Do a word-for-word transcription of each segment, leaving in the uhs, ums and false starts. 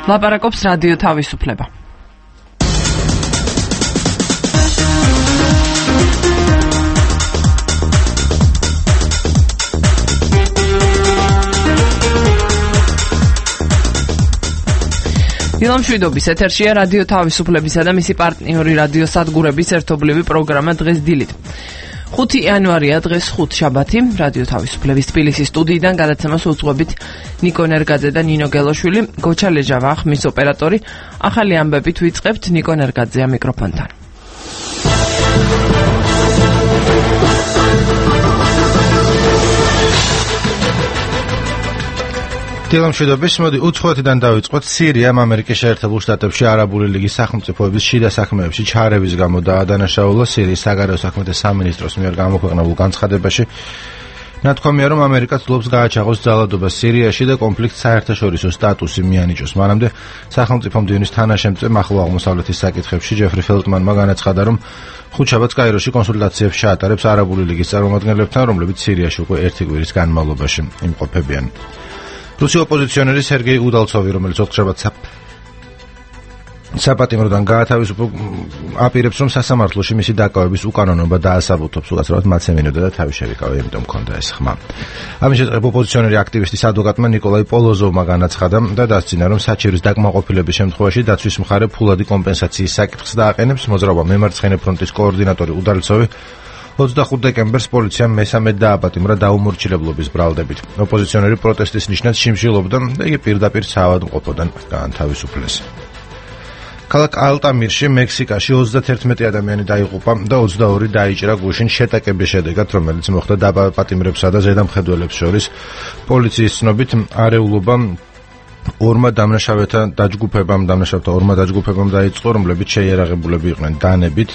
ლაპარაკობს რადიო თავისუფლება. დილამშვიდობის ეთერშია რადიო თავისუფლებისა და მისი პარტნიორი რადიო სადგურების ერთობლივი პროგრამა დღეს დილით. ხუთი იანვარია დღეს ხუთშაბათი. რადიო თავისუფლების თბილისის სტუდიიდან გადაცემას უძღვებით ნიკო ნერგაძე და ნინო გელოშვილი, გოჩა ლეჟავა ხმის ოპერატორი. ახალი ამბებით ვიწყებთ ნიკო ნერგაძეა მიკროფონთან. დილამშვიდობის, მოდი უცხოეთიდან დავიწყოთ. სირიამ ამერიკის შეერთებულ შტატებში არაბული ლიგის სახელმწიფოების შიდა საქმეებში ჩარევის გამო დაადანაშაულა. სირიის საგარეო საქმეთა სამინისტროს მიერ გამოქვეყნებულ განცხადებაში ნათქვამია, რომ ამერიკა ცდილობს გააჩაღოს ძალადობა სირიაში და კონფლიქტს საერთაშორისო სტატუსი მიანიჭოს. მანამდე სახელმწიფო მდივნის თანაშემწე ახლო აღმოსავლეთის საკითხებში ჯეფრი ფელტმანმა განაცხადა, რომ ხუთშაბათს კაიროში კონსულტაციებს ჩაატარებს არაბული ლიგის წარმომადგენლებთან, რომლებიც სირიაში უკვე ერთი კვირის განმავლობაში იმყოფებიან. რუსი ოპოზიციონერი სერგეი უდალცოვი, რომელიც ოთხშაბათს საპატიმროდან გაათავისუფლდა, აპირებს, რომ სასამართლოში მისი დაკავების უკანონობა დაასაბუთობს. უკაცრავად მათს ემინოდა და თავი შევიკავა, იმიტომ მქონდა ეს ხმა. ამის შესახებ ოპოზიციონერი აქტივისტის ადვოკატმა ნიკოლაი პოლოზოვმა განაცხადა და დასძინა, რომ საჩივრის დაკმაყოფილების შემთხვევაში დაცვის მხარე ფულადი კომპენსაციის საკითხს დააყენებს. მოძრაობა მემარცხენე ფრონტის კოორდინატორი უდალცოვი ოცდახუთ დეკემბერს პოლიციამ მესამე დააპატიმრა დაუმორჩილებლობის ბრალდებით. ოპოზიციონერი პროტესტის ნიშნად შიმშილობდა და იგი პირდაპირ საავადმყოფოდან გაანთავისუფლეს. ქალაქ ალტამირში, მექსიკაში ოცდაათი ადამიანი დაიღუპა და ოცდაორი დაიჭრა გუშინ შეტაკების შედეგად, რომელიც მოხდა დააპატიმრებსა და ზედამხედველებს შორის. პოლიციის ცნობით, არეულობა ორმა დამნაშავეთა დაჯგუფებამ, დამნაშავეთა ორმა დაჯგუფებამ დაიწყო, რომლებიც შეიარაღებულები იყვნენ დანებით.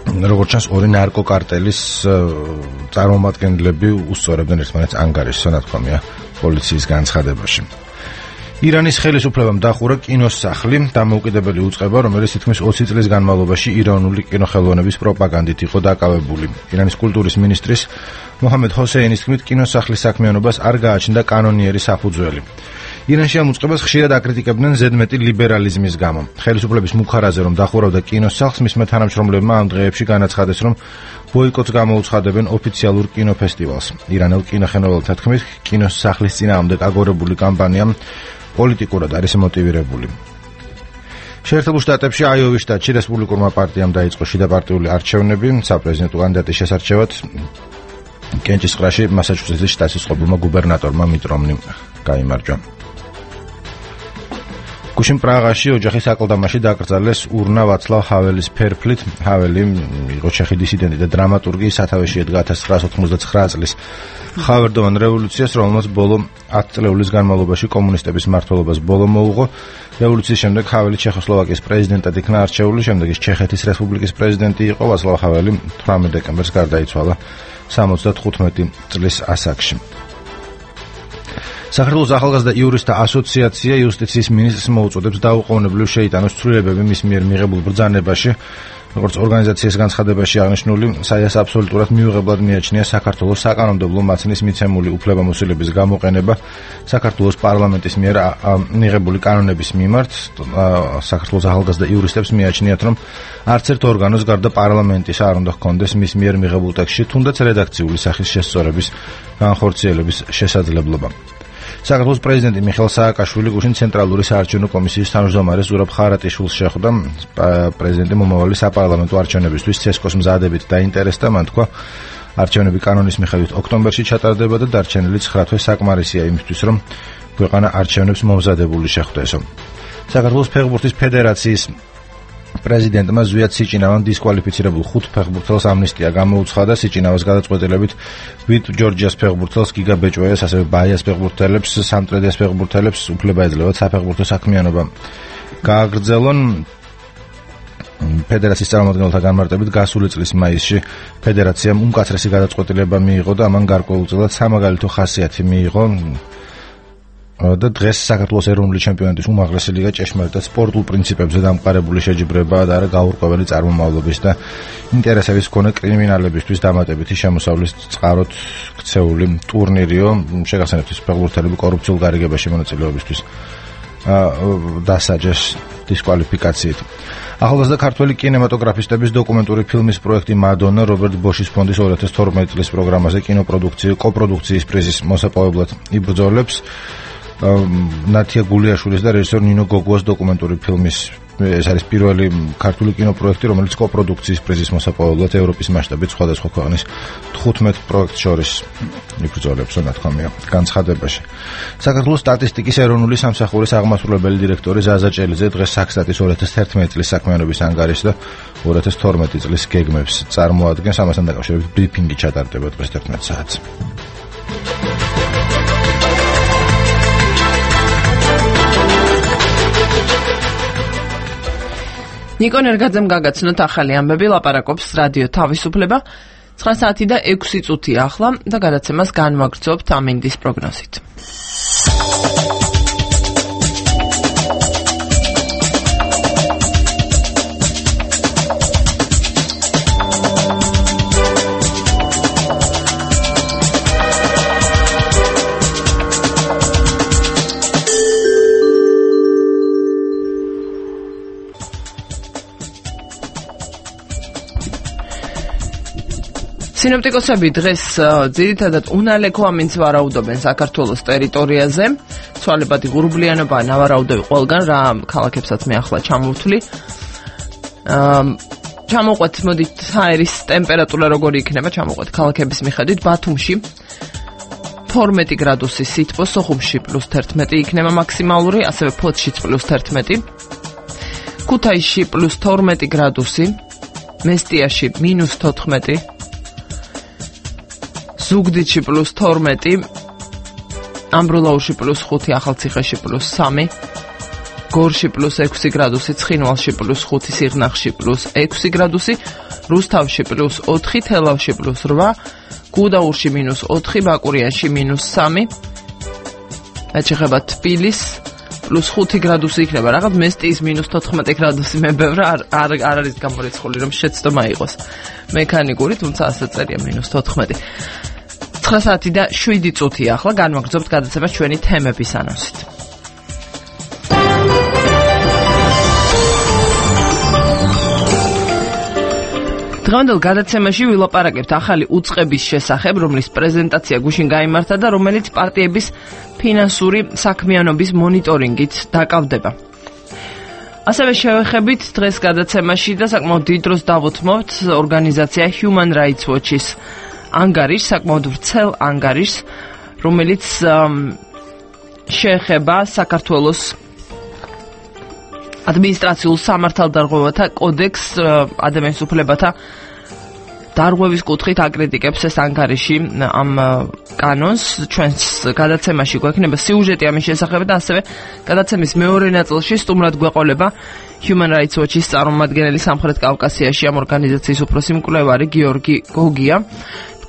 როგორც ჩანს, ორი ნარკოკარტელის წარმომადგენლები უსწორებდნენ ერთმანეთს ანგარიშს, ნათქვამია პოლიციის განცხადებაში. ირანის ხელისუფლებამ დახურა კინოსახლი, დამოუკიდებელი უწყება, რომელიც თითქმის ოცი წლის განმავლობაში ირანული კინოხელოვნების პროპაგანდით იყო დაკავებული. ირანის კულტურის მინისტრის მოჰამედ ჰოსეინის თქმით, კინოსახლის საქმიანობას არ გააჩნდა კანონიერი საფუძველი. ირანში ამ უწყებას ხშირად აკრიტიკებდნენ ზედმეტი ლიბერალიზმის გამო. ხელისუფლების მუხარაზე, რომ დახურავდა კინოსახლს, მისმა თანამშრომლებმა ამ დღეებში განაცხადეს, რომ ბოიკოტს გამოუცხადებენ ოფიციალურ კინოფესტივალს. ირანელ კინოხელოვნელთა თქმით, კინოსახლის წინააღმდეგ აგორებული კამპანია პოლიტიკურად არის მოტივირებული. შეერთებულ შტატებში აიოვის შტატში რესპუბლიკურმა პარტიამ დაიწყო შიდაპარტიული არჩევნები საპრეზიდენტო კანდიდატის შესარჩევად. კენჭისყრაში მასაჩუსეტსის შტატის ყოფილმა გუბერნატორმა მიტ რომნიმ გაიმარჯვა. გუშინ პრაღაში ოჯახის აკლდამაში დაკრძალეს ურნა ვაცლავ ჰაველის ფერფლით. ჰაველი იყო ჩეხი დისიდენტი და დრამატურგი, სათავეში ედგა ათას ცხრაას ოთხმოცდაცხრა წლის ხავერდოვან რევოლუციას, რომელმაც ბოლო ათი წლების განმავლობაში კომუნისტების მმართველობას ბოლო მოუღო. რევოლუციის შემდეგ ჰაველი ჩეხოსლოვაკიის პრეზიდენტად იქნა არჩეული, შემდეგ ის ჩეხეთის რესპუბლიკის პრეზიდენტი იყო. ვაცლავ ჰაველი თვრამეტ დეკემბერს გარდაიცვალა სამოცდათხუთმეტი წლის ასაკში. საქართველოს ახალგაზრდა იურისტთა ასოციაცია იუსტიციის მინისტრს მოუწოდებს დაუყოვნებლივ შეიტანოს ცვლილებები მის მიერ მიღებულ ბრძანებაში. როგორც ორგანიზაციის განცხადებაში აღნიშნული, საიას აბსოლუტურად მიუღებლად მიაჩნია საქართველოს საკანონმდებლო მაცნის მიცემული უფლებამოსილების გამოყენება საქართველოს პარლამენტის მიერ მიღებული კანონების მიმართ. საქართველოს ახალგაზრდა იურისტებს მიაჩნიათ, რომ არც ერთ ორგანოს გარდა პარლამენტის არ უნდა ჰქონდეს მის მიერ მიღებულ ტექსტში თუნდაც რედაქციული სახის შესწორების განხორციელების შესაძლებლობა. საქართველოს პრეზიდენტი მიხეილ სააკაშვილი გუშინ ცენტრალური საარჩევნო კომისიის თავმჯდომარე ზურაბ ხარატიშვილს შეხვდა. პრეზიდენტი მომავალი საპარლამენტო არჩევნებისთვის ცესკოს მზადებით დაინტერესდა. მან თქვა, არჩევნები კანონის მიხედვით ოქტომბერში ჩატარდება და დარჩენილი ცხრა თვე საკმარისია იმისთვის, რომ ქვეყანა არჩევნებს მომზადებული შეხვდესო. საქართველოს ფეხბურთის ფედერაციის პრეზიდენტმა ზვიად სიჭინავამ დისკვალიფიცირებულ ხუთ ფეხბურთელს ამნისტია გამოუცხადა. სიჭინავას გადაწყვეტილებით ვიტ ჯორჯიას ფეხბურთელს, გიგა ბეჭვეას, ასევე ბაიას ფეხბურთელებს, სამტრედიას ფეხბურთელებს უფლება ეძლევათ საფეხბურთო საქმიანობა გააგრძელონ. ფედერაციის წარმომადგენელთა განმარტებით გასული წლის მაისში ფედერაციამ უმკაცრესი გადაწყვეტილება მიიღო და ამან გარკვეულწილად სამაგალითო ხასიათი მიიღო. და დღეს საქართველოს ეროვნული ჩემპიონატის უმაღლესი ლიგა ჭეშმარიტად სპორტულ პრინციპებზე დამყარებული შეჯიბრებაა და არა გაურკვეველი წარმომავლობის და ინტერესების მქონე კრიმინალებისთვის დამატებითი შემოსავლის წყაროთ ქცეული ტურნირიო. შეგახსენებთ, ფეხბურთელები კორუფციულ გარიგებაში მონაწილეობისთვის დასაჯეს დისკვალიფიკაციით. ახალგაზრდა ქართველი კინემატოგრაფისტების დოკუმენტური ფილმის პროექტი მადონა რობერტ ბოშის ფონდის ორი ათას თორმეტი წლის პროგრამაზე კინოპროდუქციის კოპროდუქციის პრიზის მოსაპოვებლად იბრძოლებს. ნათია გულიაშვილის და რეჟისორ ნინო გოგუას დოკუმენტური ფილმის ეს არის პირველი ქართული კინოპროექტი, რომელიც კოპროდუქციის პრიზის მოსაპოვებლად ევროპის მასშტაბით სხვადასხვა ქვეყნის თხუთმეტ პროექტს შორის იბრძოლებს, ნათქვამია განცხადებაში. საქართველოს სტატისტიკის ეროვნული სამსახურის აღმასრულებელი დირექტორი ზაზა ჭელიძე დღეს საქსტატის ორი ათას თერთმეტი წლის საქმიანობის ანგარიშს და ორი ათას თორმეტი წლის გეგმებს წარმოადგენს. ამასთან დაკავშირებით ბრიფინგი ჩატარდება დღეს თერთმეტ საათს. ნიკო ნერგაძემ გაგაცნოთ ახალი ამბები, ლაპარაკობს რადიო თავისუფლება. ცხრა საათი და ექვსი წუთი ახლა და გადაცემას განვაგრძობთ ამინდის პროგნოზით. სინოპტიკოსები დღეს ძირითადად უნალექო ამინდს ვარაუდობენ საქართველოს ტერიტორიაზე. ცვალებადი ღრუბლიანობა ნავარაუდები ყველგან, რა ქალაქებსაც მე ახლა ჩამოვთვლი. ჩამოვყვეთ, მოდით აერის ტემპერატურა როგორი იქნება, ჩამოვყვეთ ქალაქების მიხედვით. ბათუმში თორმეტი გრადუსი სითბო, სოხუმში პლუს თერთმეტი იქნება მაქსიმალური, ასევე ფოთშიც პლუს თერთმეტი. ქუთაისში პლუს თორმეტი გრადუსი, მესტიაში მინუს თოთხმეტი. ზუგდიდში პლუს თორმეტი, ამბროლაურში პლუს ხუთი, ახალციხეში პლუს სამი, გორში პლუს ექვსი გრადუსი, ცხინვალში პლუს ხუთი, სიღნაღში პლუს ექვსი გრადუსი, რუსთავში პლუს ოთხი, თელავში პლუს რვა, გუდაურში მინუს ოთხი, ბაკურიანში მინუს სამი, ეჩეხება თბილის პლუს ხუთი გრადუსი იქნება. რაღაც მესტიის მინუს თოთხმეტი გრადუსი მე ბევრ არ არ არის გამორიცხული, რომ შეცდომა იყოს მექანიკური, თუმცა ასე წერია მინუს თოთხმეტი. ცხრა საათი და შვიდი წუთი ახლა განვაგრძობთ გადაცემას ჩვენი თემების ანონსით. დღევანდელ გადაცემაში ვილაპარაკებთ ახალი უწყების შესახებ, რომლის პრეზენტაცია გუშინ გაიმართა და რომელიც პარტიების ფინანსური საქმიანობის მონიტორინგით დაკავდება. ასევე შევეხებით დღეს გადაცემაში და საკმაოდ დიდ დროს დავუთმობთ ორგანიზაცია Human Rights Watch-ის ანგარიშს, საკმაოდ ვრცელ ანგარიშს, რომელიც შეეხება საქართველოს ადმინისტრაციულ სამართალდარღვევათა კოდექსს, ადამიანის უფლებათა დარღვევის კუთხით აკრიტიკებს ეს ანგარიში ამ კანონს. ჩვენს გადაცემაში გვექნება სიუჟეტი ამის შესახებ და ასევე გადაცემის მეორე ნაწილში სტუმრად გვეყოლება Human Rights Watch-ის წარმომადგენელი სამხრეთ კავკასიაში ამ ორგანიზაციის უფროსი მკვლევარი გიორგი გოგია.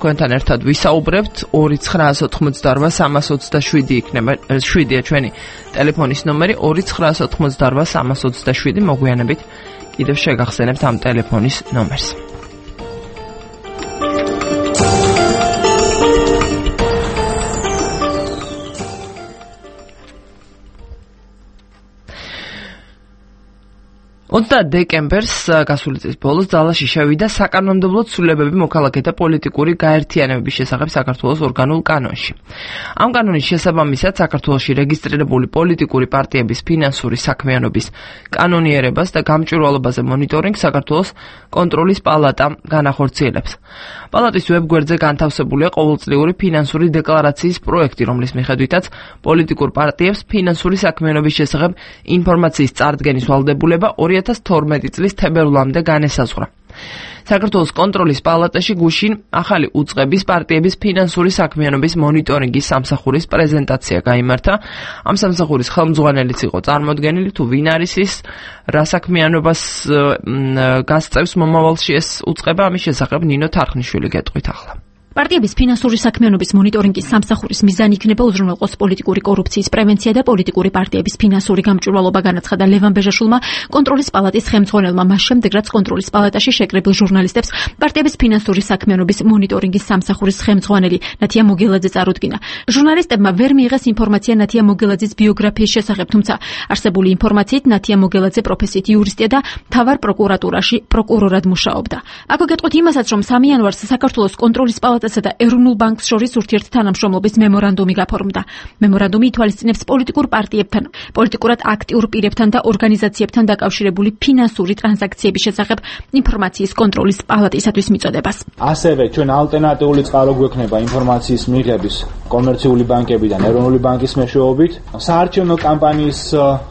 თქვენთან ერთად ვისაუბრებთ. ორი ცხრაასი ოთხმოცდარვა სამას ოცდაშვიდი იქნება შვიდია ჩვენი ტელეფონის ნომერი ორი ცხრაასი ოთხმოცდარვა სამას ოცდაშვიდი. მოგვიანებით კიდევ შეგახსენებთ ამ ტელეფონის ნომერს. ოცდაათი დეკემბერს გასული წლის ბოლოს ძალაში შევიდა საკანონმდებლო ცვლილებები მოქალაქეთა პოლიტიკური გაერთიანებების შესახებ საქართველოს ორგანულ კანონში. ამ კანონის შესაბამისად საქართველოში რეგისტრირებული პოლიტიკური პარტიების ფინანსური საქმიანობის კანონიერებას და გამჭვირვალობაზე მონიტორინგს საქართველოს კონტროლის პალატა განახორციელებს. პალატის ვებგვერდზე განთავსებულია ყოველწლიური ფინანსური დეკლარაციის პროექტი, რომლის მიხედვითაც პოლიტიკურ პარტიებს ფინანსური საქმიანობის შესახებ ინფორმაციის წარდგენის ვალდებულება ორი ათას თორმეტი წლის თებერვლამდე განესაზღვრა. საქართველოს კონტროლის პალატაში გუშინ ახალი უწყების პარტიების ფინანსური საქმიანობის მონიტორინგის სამსახურის პრეზენტაცია გაიმართა. ამ სამსახურის ხელმძღვანელიც იყო წარმოდგენილი, თუ ვინ არის ის, რა საქმიანობას გასწევს მომავალში ეს უწყება, ამის შესახებ ნინო თარხნიშვილი გეტყვით ახლა. პარტიების ფინანსური საქმიანობის მონიტორინგის სამსახურის მიზანი იქნება უზრუნველყოს პოლიტიკური კორუფციის პრევენცია და პოლიტიკური პარტიების ფინანსური გამჭვირვალობა, განაცხადა ლევან ბეჟაშვილმა კონტროლის პალატის ხელმძღვანელმა, მას შემდეგ რაც კონტროლის პალატაში შეკრებილ ჟურნალისტებს პარტიების ფინანსური საქმიანობის მონიტორინგის სამსახურის ხელმძღვანელი ნათია მოგელაძე წარუდგინა. ჟურნალისტებმა ვერ მიიღეს ინფორმაცია ნათია მოგელაძის ბიოგრაფიის შესახებ, თუმცა არსებული ინფორმაციით ნათია მოგელაძე პროფესიით იურისტია და მთავარ პროკურატურაში პროკურორად მუშაობდა. აქვე გეტყვით იმასაც, რომ სამი იანვარს საქართველოს კონტროლის პალატასა და ეროვნულ ბანკს შორის ურთიერთთანამშრომლობის მემორანდუმი გაფორმდა. მემორანდუმი ითვალისწინებს პოლიტიკურ პარტიებთან, პოლიტიკურად აქტიურ პირებთან და ორგანიზაციებთან დაკავშირებული ფინანსური ტრანზაქციების შესახებ ინფორმაციის კონტროლის პალატისათვის მიწოდებას. ასევე ჩვენ ალტერნატიული წყარო გვექნება ინფორმაციის მიღების კომერციული ბანკებიდან ეროვნული ბანკის მეშვეობით საარჩევნო კამპანიის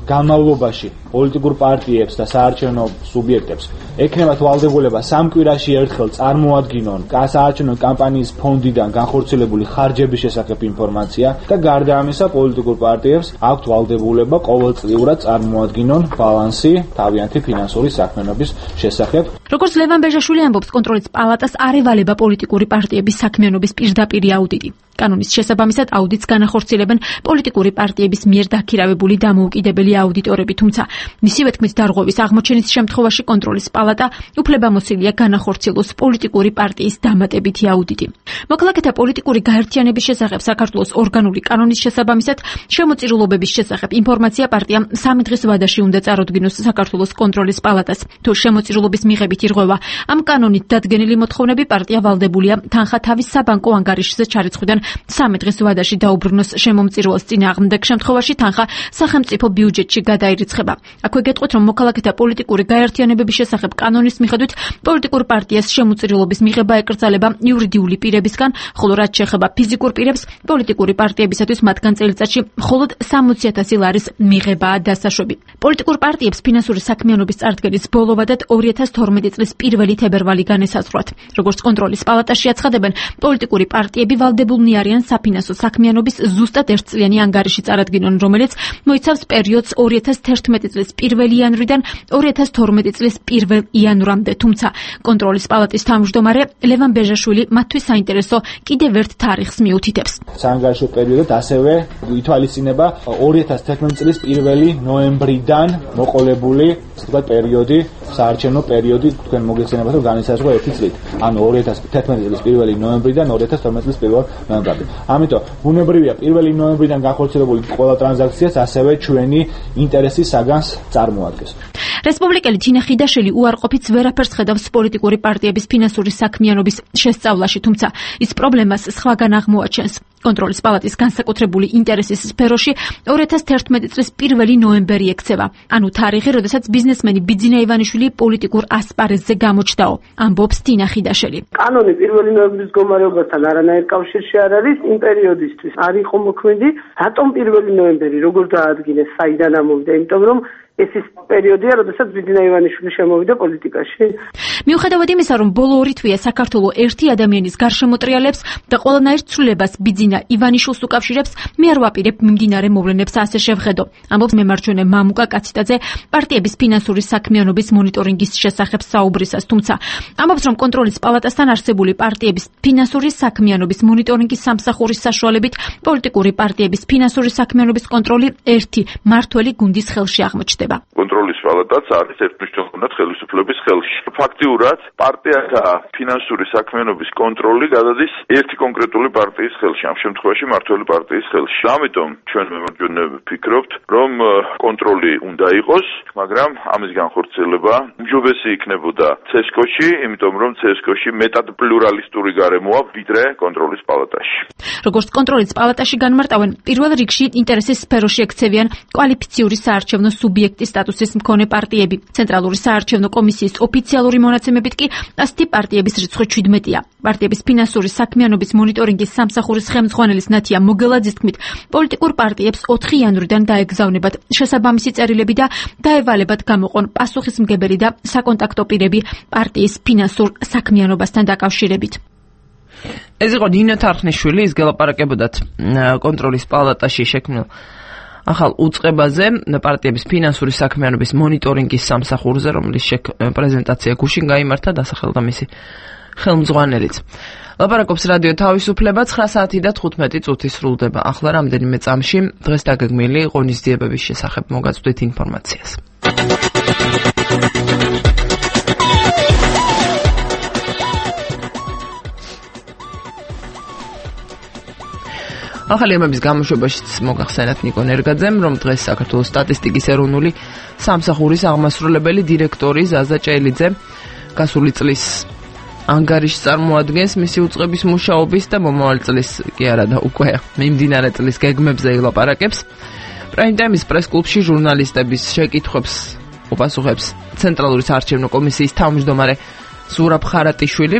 განმავლობაში პოლიტიკურ პარტიებს და საარჩევნო სუბიექტებს ექნებათ ვალდებულება სამ კვირაში ერთხელ წარმოადგინონ საარჩევნო კამპანიის ფონდიდან განხორციელებული ხარჯების შესახებ ინფორმაცია და გარდა ამისა პოლიტიკურ პარტიებს აქვთ ვალდებულება ყოველწლიურად წარმოადგინონ ბალანსი თავიანთი ფინანსური საქმიანობის შესახებ. როგორც ლევან ბეჟაშვილი ამბობს, კონტროლის პალატას არ ევალება პოლიტიკური პარტიების საქმიანობის პირდაპირი აუდიტი. კანონის შესაბამისად აუდიტს განახორციელებენ პოლიტიკური პარტიების მიერ დაქირავებული დამოუკიდებელი აუდიტორები, თუმცა მისივე თქმით დარღვევის აღმოჩენის შემთხვევაში კონტროლის პალატა უფლებამოსილია განახორციელოს პოლიტიკური პარტიის დამატებითი აუდიტი. მოქალაქეთა პოლიტიკური გაერთიანების შესახებ საქართველოს ორგანული კანონის შესაბამისად შემოწირულობების შესახებ ინფორმაცია პარტიამ სამი დღის ვადაში უნდა წარუდგინოს საქართველოს კონტროლის პალატას. თუ შემოწირულობის მიღებით ირღვევა ამ კანონით დადგენილი მოთხოვნები, პარტია ვალდებულია თანხა თავის საბანკო ანგარიშზე ჩარიცხვიდან სამი დღის ვადაში დაუბრუნოს შემომწირულოს წინააღმდეგ შემთხვევაში თანხა სახელმწიფო ბიუჯეტში გადაირიცხება. აქვე გეტყვით, რომ მოქალაქეთა პოლიტიკური გაერთიანებების შესახებ კანონის მიხედვით პოლიტიკურ პარტიას შემოწირულობის მიღება ეკრძალება იურიდიული პირებისგან, ხოლო რაც შეეხება ფიზიკურ პირებს, პოლიტიკური პარტიებისათვის მათგან წელიწადში მხოლოდ სამოცი ათასი ლარის მიღებაა დასაშვები. პოლიტიკურ პარტიებს ფინანსური საქმიანობის წარდგენის ბოლოვადად ორი ათას თორმეტი წლის პირველი თებერვალი განესაზღვრათ. როგორც კონტროლის პალატაში აცხადებენ, პოლიტიკური პარტიები ვალდებულნი არიან საფინანსო საქმიანობის ზუსტად ერთწლიანი ანგარიში წარადგინონ, რომელიც მოიცავს პერიოდს ორი ათას თერთმეტი წლის პირველი იანვრიდან ორი ათას თორმეტი წლის პირველ იანვრამდე, თუმცა კონტროლის პალატის თავმჯდომარე ლევან ბეჟაშვილი მათთვის საინტერესო კიდევ ერთ თარიღს მიუთითებს. საანგარიშო პერიოდად ასევე ითვალისწინება ორი ათას თერთმეტი წლის პირველი ნოემბრიდან მოყოლებული თქვა პერიოდი, საარჩევნო პერიოდი თქვენ მოგეცემათ რომ განისაზღვრა ერთი წლით. ანუ ორი ათას თერთმეტი წლის პირველი ნოემბრიდან ორი ათას თორმეტი წლის პირველ ნოემბრამდე. ამიტომ ბუნებრივია პირველი ნოემბრიდან განხორციელებული ყველა ტრანზაქციას ასევე ჩვენი ინტერესის საგანს წარმოადგენს. რესპუბლიკელი თინა ხიდაშელი უარყოფით ვერაფერს ხედავს პოლიტიკური პარტიების ფინანსური საქმიანობის შესწავლაში, თუმცა ის პრობლემას სხვაგან აღმოაჩენს. კონტროლის პალატის განსაკუთრებული ინტერესის სფეროში ორი ათას თერთმეტი წლის პირველი ნოემბერი ექცევა, ანუ თარიღი, როდესაც ბიზნესმენი ბიძინა ივანიშვილი პოლიტიკურ ასპარეზზე გამოჩნდაო, ამბობს თინა ხიდაშელი. კანონი პირველი ნოემბრის მდგომარეობასთან არანაირ კავშირში არ არის, იმ პერიოდისთვის არ იყო მოქმედი. რატომ პირველი ნოემბერი, როგორ დაადგინეს, საიდან ამოვიდა? იმიტომ რომ ეს ის პერიოდია, როდესაც ბიძინა ივანიშვილი შემოვიდა პოლიტიკაში. მიუხედავად იმისა, რომ ბოლო ორი თვეა საქართველოს ერთი ადამიანის გარშემოტრიალებს და ყველანაირ ცვლილებას ბიძინა ივანიშვილს უკავშირებს, მე არ ვაპირებ მიმდინარე მოვლენებს ასე შევხედო. ამბობს მემარჯვენე მამუკა კაციტაძე პარტიების ფინანსური საქმიანობის მონიტორინგის შესახებ საუბრისას, თუმცა ამბობს, რომ კონტროლის პალატასთან არსებული პარტიების ფინანსური საქმიანობის მონიტორინგის სამსახურის საშუალებით პოლიტიკური პარტიების ფინანსური საქმიანობის კონტროლი ერთი მართველი გუნდის ხელში აღმოჩნდება. კონტროლის პალატაც არის ერთმნიშვნელოვნად ხელისუფლების ხელში. ფაქტიურად პარტიათა ფინანსური საქმიანობის კონტროლი გადადის ერთი კონკრეტული პარტიის ხელში, ამ შემთხვევაში მართველი პარტიის ხელში. ამიტომ ჩვენ მემარჯვენე ვფიქრობთ, რომ კონტროლი უნდა იყოს, მაგრამ ამის განხორციელება უმჯობესი იქნებოდა ცესკოში, იმიტომ რომ ცესკოში მეტად პლურალისტური გარემოა ვიდრე კონტროლის პალატაში. როგორც კონტროლის პალატაში განმარტავენ, პირველ რიგში ინტერესის სფეროში ექცევიან კვალიფიციური საარჩევნო სუბიექტი სტატუსის მქონე პარტიები. ცენტრალური საარჩევნო კომისიის ოფიციალური მონაცემებით კი ასეთი პარტიების რიცხვი შვიდმეტია. პარტიების ფინანსური საქმიანობის მონიტორინგის სამსახურის ხელმძღვანელის ნათია მოგელაძის თქმით, პოლიტიკურ პარტიებს ოთხი იანვრიდან დაეგზავნებათ შესაბამისი წერილები და დაევალებათ გამოყონ პასუხისმგებელი და საკონტაქტო პირები პარტიის ფინანსურ საქმიანობასთან დაკავშირებით. ეს იყო ნინო თარხნიშვილი, ის გელაპარაკებოდათ კონტროლის პალატაში შექმნილ ახალ უწყებაზე პარტიების ფინანსური საქმიანობის მონიტორინგის სამსახურზე, რომლის პრეზენტაცია გუშინ გაიმართა, დასახელდა მისი ხელმძღვანელიც. ლაპარაკობს რადიო თავისუფლება ცხრა საათი და თხუთმეტი წუთი სრულდება. ახლა რამდენიმე წამში დღეს დაგეგმილი ღონისძიებების შესახებ მოგაწვდით ინფორმაციას. ახალი ამების გამოშვებაშიც მოგახსენათ ნიკო ნერგაძემ, რომ დღეს საქართველოს სტატისტიკის ეროვნული სამსახურის აღმასრულებელი დირექტორი ზაზა ჭელიძე გასული წლის ანგარიშს წარმოადგენს მისი უწყების მუშაობის და მომავალ წლის კი არა და უკვე მიმდინარე წლის გეგმებზე ილაპარაკებს. პრაიმ-ტაიმის პრეს-კლუბში ჟურნალისტების შეკითხვებს უპასუხებს ცენტრალური საარჩევნო კომისიის თავმჯდომარე ზურაბ ხარატიშვილი.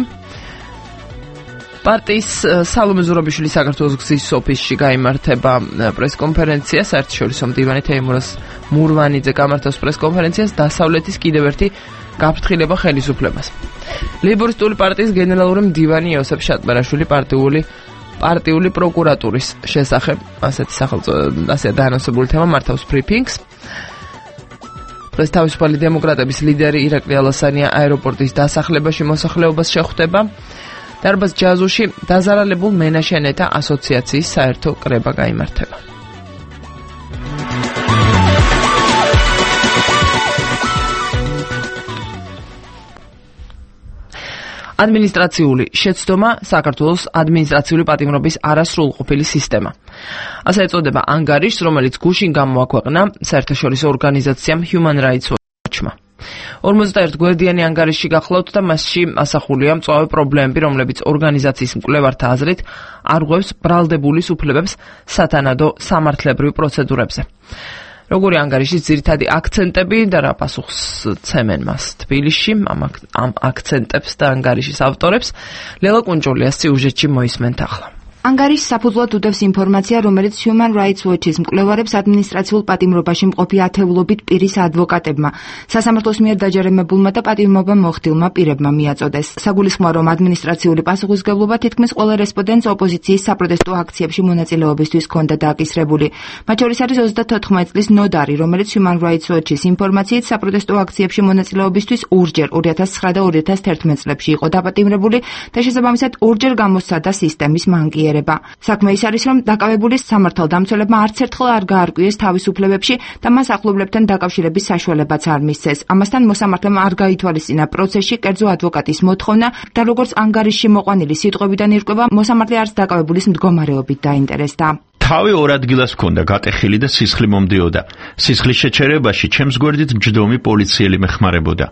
პარტიის სალომე ზურაბიშვილის საქართველოს გზის ოფისში გაიმართება პრესკონფერენცია. საერთაშორისო მდივანი თეიმურაზ მურვანიძე გამართავს პრესკონფერენციას დასავლეთის კიდევ ერთი გაფრთხილება ხელისუფლებას. ლეიბორისტული პარტიის გენერალური მდივანი იოსებ შატბერაშვილი პარტიული პარტიული პროკურატურის შესახებ ასეთი სახელწოდებით ასე დაანონსებული თემა მართავს ბრიფინგს. დღეს თავისუფალი დემოკრატების ლიდერი ირაკლი ალასანია აეროპორტის დასახლებაში მოსახლეობას შეხვდება. დარბაზ ჯაზუში დაზარალებულ მენაშენეთა ასოციაციის საერთო კრება გაიმართება. ადმინისტრაციული შეცდომა საქართველოს ადმინისტრაციული პატიმრობის არასრულყოფილი სისტემა. ასე ეწოდება ანგარიშს, რომელიც გუშინ გამოაქვეყნა საერთაშორისო ორგანიზაციამ Human Rights Watch-მა. ორმოცდაერთი გვერდიანი ანგარიში გახლავთ და მასში ასახულია მწვავე პრობლემები, რომლებიც ორგანიზაციის მკვლევართა აზრით არღვევს ბრალდებული უფლებებს სათანადო სამართლებრივ პროცედურებზე. როგორი ანგარიშის ძირითადი აქცენტები და რა პასუხს ცემენ მას თბილისში ამ, ამ აქცენტებს და ანგარიშის ავტორებს ლელა კუნჭულიას სიუჟეტში მოისმენთ ახლა. ანგარიშს საფუძვლად უდევს ინფორმაცია, რომელიც Human Rights Watch-ის მკვლევარებს ადმინისტრაციულ პატიმრობაში მყოფი ათეულობით პირის ადვოკატებმა, სასამართლოს მიერ დაჯერებებულმა და პატიმრობა მოხდილმა პირებმა მიაწოდეს. საგულისხმოა, რომ ადმინისტრაციული პასუხისმგებლობა თითქმის ყველა რესპონდენტს ოპოზიციის საპროტესტო აქციებში მონაწილეობისთვის ჰქონდა დააკისრებული. მათ შორის არის ოცდათოთხმეტი წლის ნოდარი, რომელიც Human Rights Watch-ის ინფორმაციით საპროტესტო აქციებში მონაწილეობისთვის ორჯერ ორი ათას ცხრა და ორი ათას თერთმეტი წლებში იყო დაპატიმრებული და შესაბამისად ორჯერ გამოსცადა სისტემის მანკიერება. საქმე ის არის, რომ დაკავებულის სამართალდამცველებმა არც ერთხელ არ გაარკვიეს თავისუფლებებში და მას ახლობლებთან დაკავშირების საშუალებაც არ მისცეს. ამასთან მოსამართლემ არ გაითვალისწინა პროცესში კერძო ადვოკატის მოთხოვნა და როგორც ანგარიშში მოყვანილი სიტყვებიდან ირკვევა, მოსამართლე არც დაკავებულის მდგომარეობით დაინტერესდა. თავი ორ ადგილას ჰქონდა გატეხილი და სისხლი მომდიოდა. სისხლის შეჩერებაში ჩემს გვერდით მჯდომი პოლიციელი მეხმარებოდა.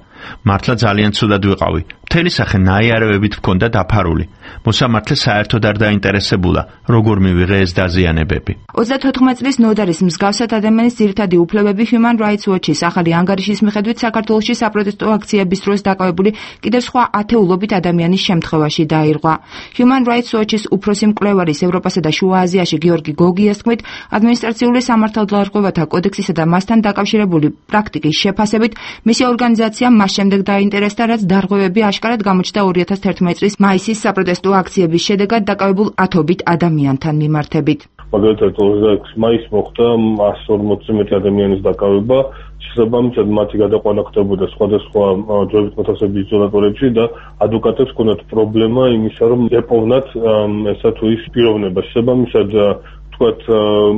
მართლა ძალიან ცუდად ვიყავი. მთელი სახე ნაიარევებით ჰქონდა დაფარული. მოსამართლე საერთოდ არ დაინტერესებულა, როგორ მივიღე ეს დაზიანებები. ოცდათოთხმეტი წლის ნოდარის მსგავსად ადამიანის ძირითადი უფლებები Human Rights Watch-ის ახალი ანგარიშის მიხედვით საქართველოში საპროტესტო აქციების დროს დაკავებული კიდევ სხვა ათეულობით ადამიანის შემთხვევაში დაირღვა. Human Rights Watch-ის უფროსი მკვლევარის ევროპასა და შუა აზიაში გიორგი გოგიას თქმით, ადმინისტრაციული სამართალდარღვევათა კოდექსისა და მასთან დაკავშირებული პრაქტიკის შეფასებით, მისი ორგანიზაცია მას შემდეგ დაინტერესდა, რაც დარღვევები აშკარად გამოჩნდა ორი ათას თერთმეტი წლის მაისის საპროტესტო აქციების შედეგად დაკავებულ ათობით ადამიანთან მიმართებით. მაგალითად ოცდაექვსი მაისს მოხდა εκατს ორმოცი მეტი ადამიანის დაკავება, შესაბამისად მათი გადაყვანა ხდებოდა სხვადასხვა დროებით მოთავსების იზოლატორებში და ადვოკატებს ჰქონდათ პრობლემა იმისა, რომ ეპოვნათ ესა თუ ის პიროვნება. შესაბამისად თქვათ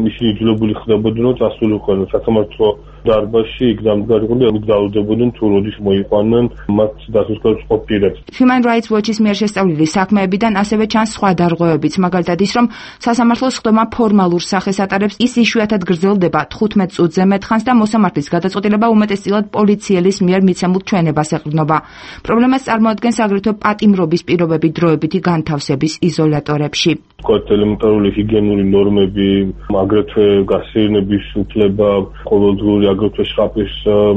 ისინი იძულებული ხდებოდნენ, რომ წასულიყვნენ სასამართლო დარბაზში, იქ დამდგარიყო და მიგზაურდებოდნენ თუ როდის მოიყვანნენ მათ დასუსკარებს ყოფილებს. Human Rights Watch-ის მიერ შესწავლილი საქმეებიდან ასევე ჩანს სხვა დარღვევებიც, მაგალითად ის, რომ სასამართლოს ხდომა ფორმალურ სახეს ატარებს, ის იშვიათად გრძელდება თხუთმეტ წუთზე მეტხანს და მოსამართლის გადაწყვეტილება უმეტესწილად პოლიციელის მიერ მიცემულ ჩვენებას ეყრდნობა. პრობლემას წარმოადგენს აგრეთვე პატიმრობის პირობები დროებითი განთავსების იზოლატორებში. თქვათ ელემენტარული ჰიგიენური ნორმები, აგრეთვე გასეირნების უფლება, ყოველდღიური აგრეთვე შხაპის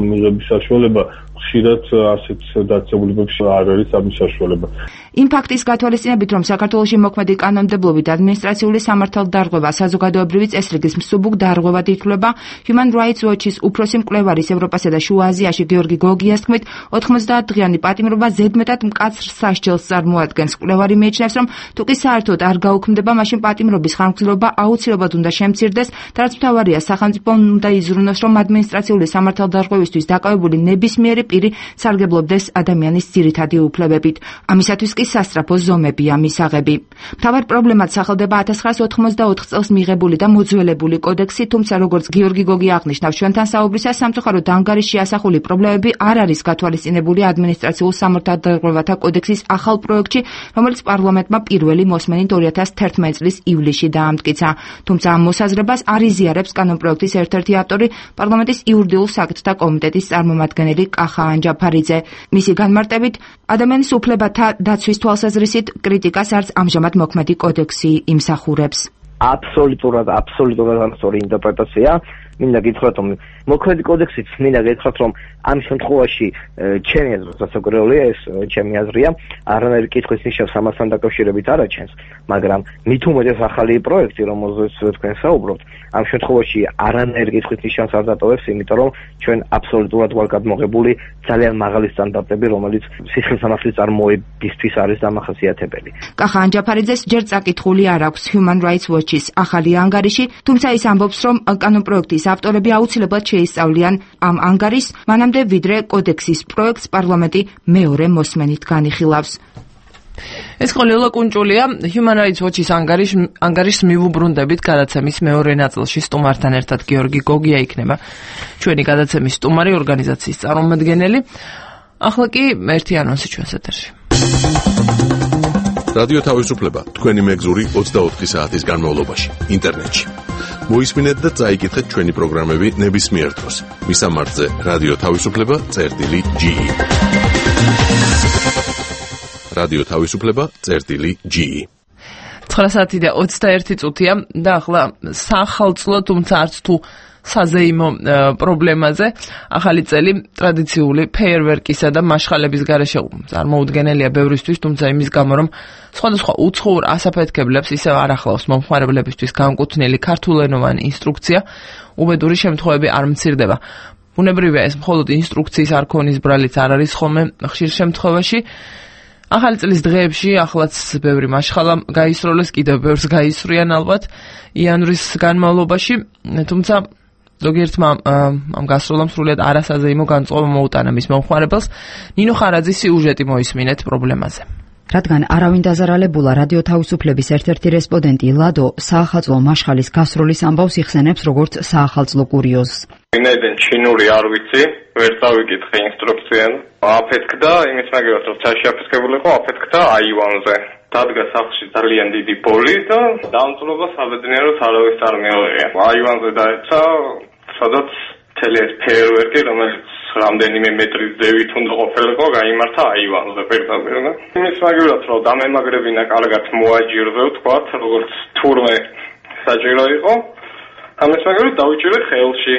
მიღების საშუალება ხშირად ასეთ დაწესებულებებში არ არის ამის საშუალება. იმ ფაქტის გათვალისწინებით, რომ საქართველოში მოქმედი კანონმდებლობით ადმინისტრაციული სამართალდარღვევა საზოგადოებრივი წესრიგის მსუბუქ დარღვევად ითვლება, Human Rights Watch-ის უფროსი მკვლევარის ევროპასა და შუა აზიაში გიორგი გოგიას თქმით, ოცდაათი დღიანი პატიმრობა ზედმეტად მკაცრ სასჯელს წარმოადგენს. მკვლევარი მიიჩნევს, რომ თუ კი საერთოდ არ გაუქმდება, მაშინ პატიმრობის ხანგრძლივობა აუცილებლად უნდა შემცირდეს და რაც მთავარია, სახელმწიფომ უნდა იზრუნოს, რომ ადმინისტრაციული სამართალდარღვევისთვის დაკავებული ნებისმიერი პირი სარგებლობდეს ადამიანის ძირითადი უფლებებით. ამისათვის კი სასწრაფო ზომებია მისაღები. მთავარ პრობლემად სახელდება ათას ცხრაას ოთხმოცდაოთხ წელს მიღებული და მოძველებული კოდექსი, თუმცა როგორც გიორგი გოგი აღნიშნავს ჩვენთან საუბრისას, სამწუხაროდ ანგარიშში ასახული პრობლემები არ არის გათვალისწინებული ადმინისტრაციულ სამართალდარღვევათა კოდექსის ახალ პროექტში, რომელიც პარლამენტმა პირველი მოსმენით ორი ათას თერთმეტი წლის ივლისში დაამტკიცა. თუმცა ამ მოსაზრებას არ იზიარებს კანონპროექტის ერთ-ერთი ავტორი, პარლამენტის იურიდიულ საკითხთა კომიტეტის წარმომადგენელი კახა ანჯაფარიძე. მისი განმარტებით, ადამიანის უფლებათა დაცვის თვალსაზრისით კრიტიკას არც ამჟამად მოქმედი კოდექსი იმსახურებს. აბსოლუტურად, აბსოლუტურად განსხვავებული ინტერპრეტაცია. მინდა გითხრათ, რომ მოქმედი კოდექსით მინდა გითხრათ, რომ ამ შემთხვევაში ჩემი აზრით სასაკურველია, ეს ჩემი აზრია, არანაირი კითხვის ნიშნავს ამასთან დაკავშირებით არ აჩენს, მაგრამ მით უმეტეს ახალი პროექტი, რომელზეც თქვენ საუბრობთ, ამ შემთხვევაში არანაირი კითხვის ნიშნავს არ დატოვებს, იმიტომ რომ ჩვენ აბსოლუტურად ვარ გადმოღებული ძალიან მაღალი სტანდარტები, რომელიც სისხლისამართლის წარმოებისთვის არის დამახასიათებელი. კახა ანჯაფარიძეს ჯერ წაკითხული არ აქვს Human Rights Watch-ის ახალი ანგარიში, თუმცა ის ამბობს, რომ კანონპროექტის ავტორები აუცილებლად შეისწავლიან ამ ანგარიშს, მანამდე ვიდრე კოდექსის პროექტს პარლამენტი მეორე მოსმენით განიხილავს. ეს ყოლელა კუნჭულია Human Rights Watch-ის ანგარიშ ანგარიშს მივუბრუნდებით გადაცემის მეორე ნაწილში სტუმართან ერთად გიორგი გოგია იქნება ჩვენი გადაცემის სტუმარი ორგანიზაციის წარმომადგენელი. ახლა კი ერთი ანონსი ჩვენს ეთერში. რადიო თავისუფლება თქვენი მეგზური ოცდაოთხი საათის განმავლობაში ინტერნეტში. მოისმინეთ და წაიკითხეთ ჩვენი პროგრამები ნებისმიერ დროს. მისამართზე რადიო თავისუფლება წერტილი ჯი ი. რადიო თავისუფლება წერტილი ჯი ი. ცხრა საათი და ოცდაერთი წუთია და ახლა სახალწლო, თუმცა არც თუ საზეიმო პრობლემაზე ახალი წელი ტრადიციული ფეიერვერკისა და მაშხალების გარეშე წარმოუდგენელია ბევრისთვის, თუმცა იმის გამო რომ სხვადასხვა უცხოურ ასაფეთქებლებს ისევ არ ახლავს მომხმარებლებისთვის განკუთვნილი ქართულენოვანი ინსტრუქცია, უბედური შემთხვევები არ მცირდება. ბუნებრივია ეს მხოლოდ ინსტრუქციის არქონის ბრალიც არ არის ხოლმე ხშირ შემთხვევაში. ახალი წლის დღეებში ახლაც ბევრი მაშხალა გაისროლეს, კიდევ ბევრს გაისვრიან ალბათ იანვრის განმავლობაში, თუმცა ზოგიერთმა ამ გასროლამ სრულიად არასაზეიმო განწყობა მოუტანა მის მომხმარებელს. ნინო ხარაძის სიუჟეტი მოისმინეთ პრობლემაზე. რადგან არავინ დაზარალებულა, რადიო თავისუფლების ერთ-ერთი რესპონდენტი ლადო საახალწლო მაშხალის გასროლის ამბავს იხსენებს როგორც საახალწლო კურიოზს. ვინაიდან ჩინური არ ვიცი, ვერ წავიკითხე ინსტრუქცია. აფეთქდა, იმის მაგალითად რომ ცაში აფეთქებული იყო, აფეთქდა აივანზე. დადგა სახლში ძალიან დიდი ბოლი და დამწვრობა საბედნიეროდ არავის არ მეუღია. აივანზე დაეცა, სადაც მთელი ეს ფეიერვერკი, რომელიც რამდენიმე მეტრის ზევით უნდა ყოფილიყო, გაიმართა აივანზე პირდაპირ. იმის მაგალითად რომ დამემაგრებინა კარგად მოაჯირზე, ვთქვათ, როგორც თურმე საჭირო იყო. ამის მაგალითად დავიჭირე ხელში.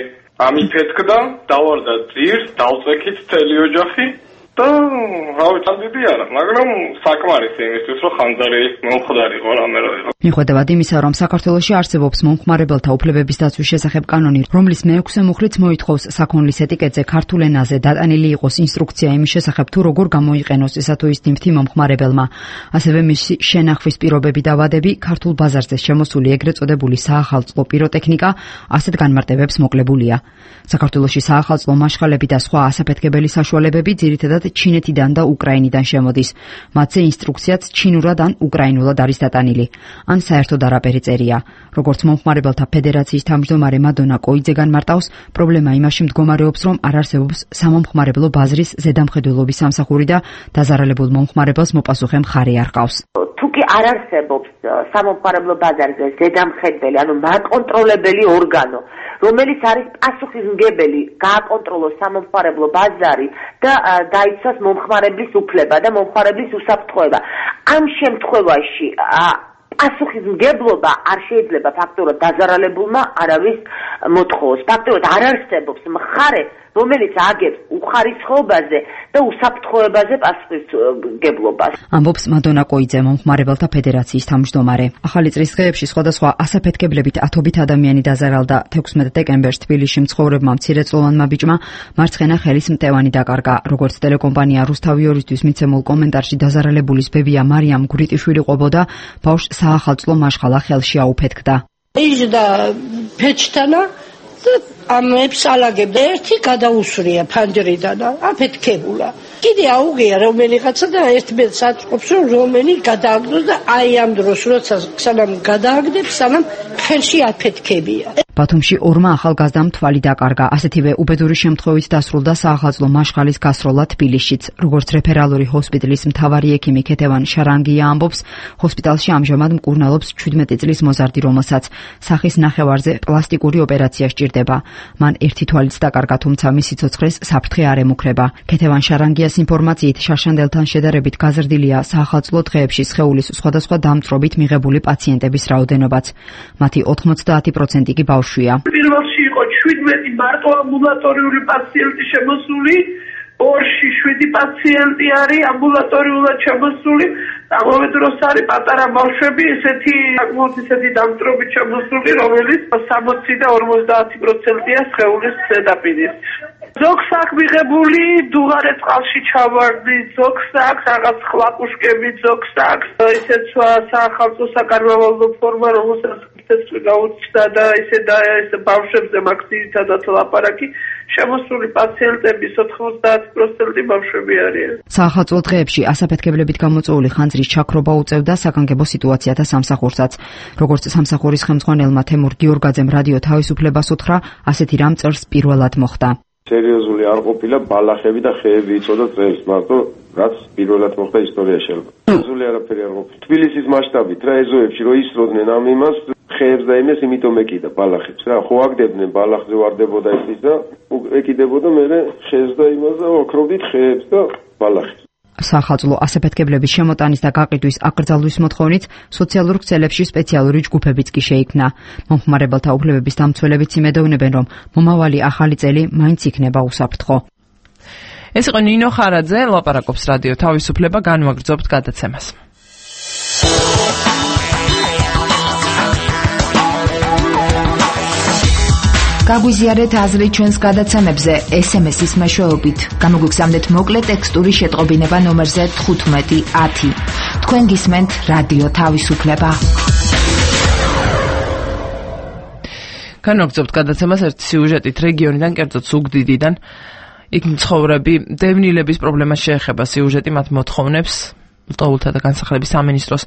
ამიფეთქდა, დავარდა ძირს, დავწექით მთელი ოჯახი და რავი, დიდი არა, მაგრამ საკმარისი იმისთვის, რომ ხანძარი მომხდარიყო რამე რა იყო. მიუხედავად იმისა, რომ საქართველოში არსებობს მომხმარებელთა უფლებების დაცვის შესახებ კანონი, რომლის მეექვსე მუხლით მოითხოვს საქონლის ეტიკეტზე ქართულ ენაზე დატანილი იყოს ინსტრუქცია იმის შესახებ, თუ როგორ გამოიყენოს ესა თუ ის ნივთი მომხმარებელმა. ასევე მისი შენახვის პირობები და ვადები ქართულ ბაზარზე შემოსული ეგრეთ წოდებული საახალწლო პიროტექნიკა ასეთ განმარტებებს მოკლებულია. საქართველოში საახალწლო მაშხალები და სხვა ასაფეთქებელი საშუალებები ძირითადად ჩინეთიდან და უკრაინიდან შემოდის. მათზე ინსტრუქციაც ჩინურად ან უკრაინულად არის დატანილი. ან საერთოდ არაფერი წერია. როგორც მომხმარებელთა ფედერაციის თავმჯდომარე მადონა კოიძე განმარტავს, პრობლემა იმაში მდგომარეობს, რომ არ არსებობს სამომხმარებლო ბაზრის ზედამხედველობის სამსახური და დაზარალებულ მომხმარებელს მოპასუხე მხარე არ ყავს. თუ კი არ არსებობს სამომხმარებლო ბაზარზე ზედამხედველი, ანუ მაკონტროლებელი ორგანო, რომელიც არის პასუხისმგებელი გააკონტროლოს სამომხმარებლო ბაზარი და დაიცვას მომხმარებლის უფლება და მომხმარებლის უსაფრთხოება. ამ შემთხვევაში პასუხისმგებლობა არ შეიძლება ფაქტობრივად დაზარალებულმა არავის მოთხოვოს. ფაქტობრივად არ არსებობს მხარე, რომელიც აგებს უხარისხობაზე და უსაფრთხოებაზე პასუხისმგებლობას. ამბობს მადონა კოიძე, მომხმარებელთა ფედერაციის თავმჯდომარე. ახალი წლის დღეებში სხვადასხვა ასაფეთქებლებით ათობით ადამიანი დაზარალდა. თექვსმეტ დეკემბერს თბილისში მცხოვრებმა მცირეწლოვანმა ბიჭმა მარცხენა ხელის მტევანი დაკარგა. როგორც ტელეკომპანია რუსთავი ორისთვის მიცემულ კომენტარში დაზარალებულის ბებია მარიამ გურიტიშვილი ყოფოდა, ბავშვს საახალწლო მაშხალა ხელში აუფეთქდა. იჯდა ფეჩთანა და ამებს ალაგებდა ერთი გადაუსვრია ფანჯრიდან აფეთქებულა კიდე აუღია რომელიღაცა და ერთმანეთს აწყობს რომ რომელი გადააგდოს და აი ამ დროს როცა სანამ გადააგდებს სანამ ხელში აფეთქებია ბათუმში ორმა ახალგაზრდამ თვალი დაკარგა. ასეთივე უბედური შემთხვევით დასრულდა საახალწლო მაშხალის გასროლა თბილისშიც. როგორც რეფერალური ჰოსპიტალის მთავარი ექიმი ქეთევან შარანგია ამბობს, ჰოსპიტალში ამჟამად მკურნალობს ჩვიდმეტი წლის მოზარდი, რომელსაც სახის ნახევარზე პლასტიკური ოპერაცია სჭირდება. მან ერთი თვალიც დაკარგა, თუმცა მისი ცოცხლეს საფრთხე არ ემუქრება. ქეთევან შარანგიას ინფორმაციით, შარშანდელთან შედარებით გაზრდილია საახალწლო დღეებში სხეულის სხვადასხვა დამწრობით მიღებული პაციენტების რაოდენობაც. მათი ოთხმოცდაათი პროცენტი კი ბავშვია. პირველში იყო შვიდმეტი მარტო ამბულატორიული პაციენტი შემოსული, ორში შვიდი პაციენტი არის ამბულატორიულად შემოსული, ამავე დროს არის პატარა ბავშვები, ესეთი საკმაოდ ისეთი დამწრობით შემოსული, რომელიც სამოცი და ორმოცდაათი პროცენტია სხეულის ზედაპირის. ზოგს აქვს მიღებული დუღარე წყალში ჩავარდი, ზოგს აქვს რაღაც ხლაპუშკები, ზოგს აქვს ისეთ საახალწლო საკარნავალო ფორმა, რომელსაც თესლი გაუჩნდა და ისე და ეს ბავშვებზე მაქვს ძირითადად ლაპარაკი, შემოსული პაციენტების ოთხმოცდაათი პროცენტი ბავშვები არიან. საახალწლო დღეებში ასაფეთქებლებით გამოწვეული ხანძრის ჩაქრობა უწევდა საგანგებო სიტუაციათა სამსახურსაც. როგორც სამსახურის ხელმძღვანელმა თემურ გიორგაძემ რადიო თავისუფლებას უთხრა, ასეთი რამ წელს პირველად მოხდა. სერიოზული არ ყოფილა ბალახები და ხეები იწოდა წელს, მარტო რაც პირველად მოხდა ისტორიაში. სერიოზული არაფერი არ ყოფილა. თბილისის მასშტაბით რა ეზოებში რო ისროდნენ ამ იმას ხეებს და იმას, იმიტომ ეკიდა ბალახებს რა. ხო აგდებდნენ ბალახზე ვარდებოდა ის და ეკიდებოდა მე ხეს და იმას და ოქროვდით ხეებს და ბალახებს. საახალწლო ასაფეთქებლების შემოტანის და გაყიდვის აკრძალვის მოთხოვნით სოციალურ ქსელებში სპეციალური ჯგუფებიც კი შეიქმნა. მომხმარებელთა უფლებების დამცველებიც იმედოვნებენ, რომ მომავალი ახალი წელი მაინც იქნება უსაფრთხო. ეს იყო ნინო ხარაძე, ლაპარაკობს რადიო თავისუფლება, განვაგრძობთ გადაცემას. გაგვიზიარეთ აზრი ჩვენს გადაცემებზე ეს ემ ეს-ის მეშვეობით. გამოგვიგზავნეთ მოკლე ტექსტური შეტყობინება ნომერზე თხუთმეტი ათი. თქვენ გისმენთ რადიო თავისუფლება. განვაგრძობთ გადაცემას ერთი სიუჟეტით რეგიონიდან, კერძოდ ზუგდიდიდან. იქ მცხოვრები დევნილების პრობლემას შეეხება სიუჟეტი, მათ მოთხოვნებს ლტოლთა და განსახლების სამინისტროს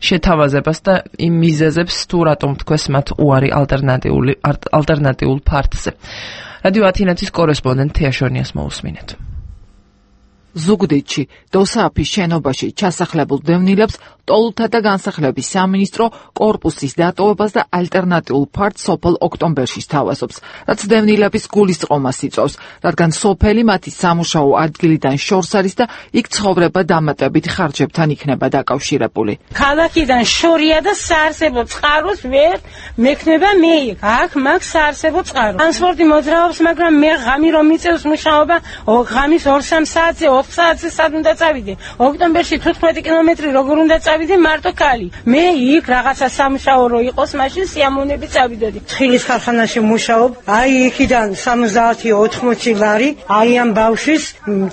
შეთავაზებას და იმ მიზეზებს თუ რატომ თქვეს მათ უარი ალტერნატიული ალტერნატიულ ფართზე. რადიო ათინათის კორესპონდენტ თეაშონიას მოусმინეთ. ზუგდიდში დოსააფის შენობაში ჩასახლებულ დევნილებს ტოლთა და განსახლების სამინისტრო კორპუსის დატოვებას და ალტერნატიულ ფართს სოფელ ოქტომბერში სთავაზობს, რაც დევნილების გულისწყრომას იწვევს, რადგან სოფელი მათი სამუშაო ადგილიდან შორს არის და იქ ცხოვრება დამატებით ხარჯებთან იქნება დაკავშირებული. ქალაქიდან შორია და საარსებო წყაროს ვერ მექნება მე იქ. აქ მაგ საარსებო წყარო. ტრანსპორტი მოძრაობს, მაგრამ მე ღამი რომ მიწევს მუშაობა, ღამის ორ სამ საათზე ოთხ საათზე სად უნდა წავიდე? ოქტომბერში თოთხმეტი კილომეტრი როგორ უნდა წავიდე მარტო ქალი? მე იქ რაღაცა სამუშაო რო იყოს, მაშინ სიამოვნებით წავიდოდი. თხილის ქარხანაში მუშაობ, აი იქიდან სამოცდაათი ოთხმოცი ლარი, აი ამ ბავშვის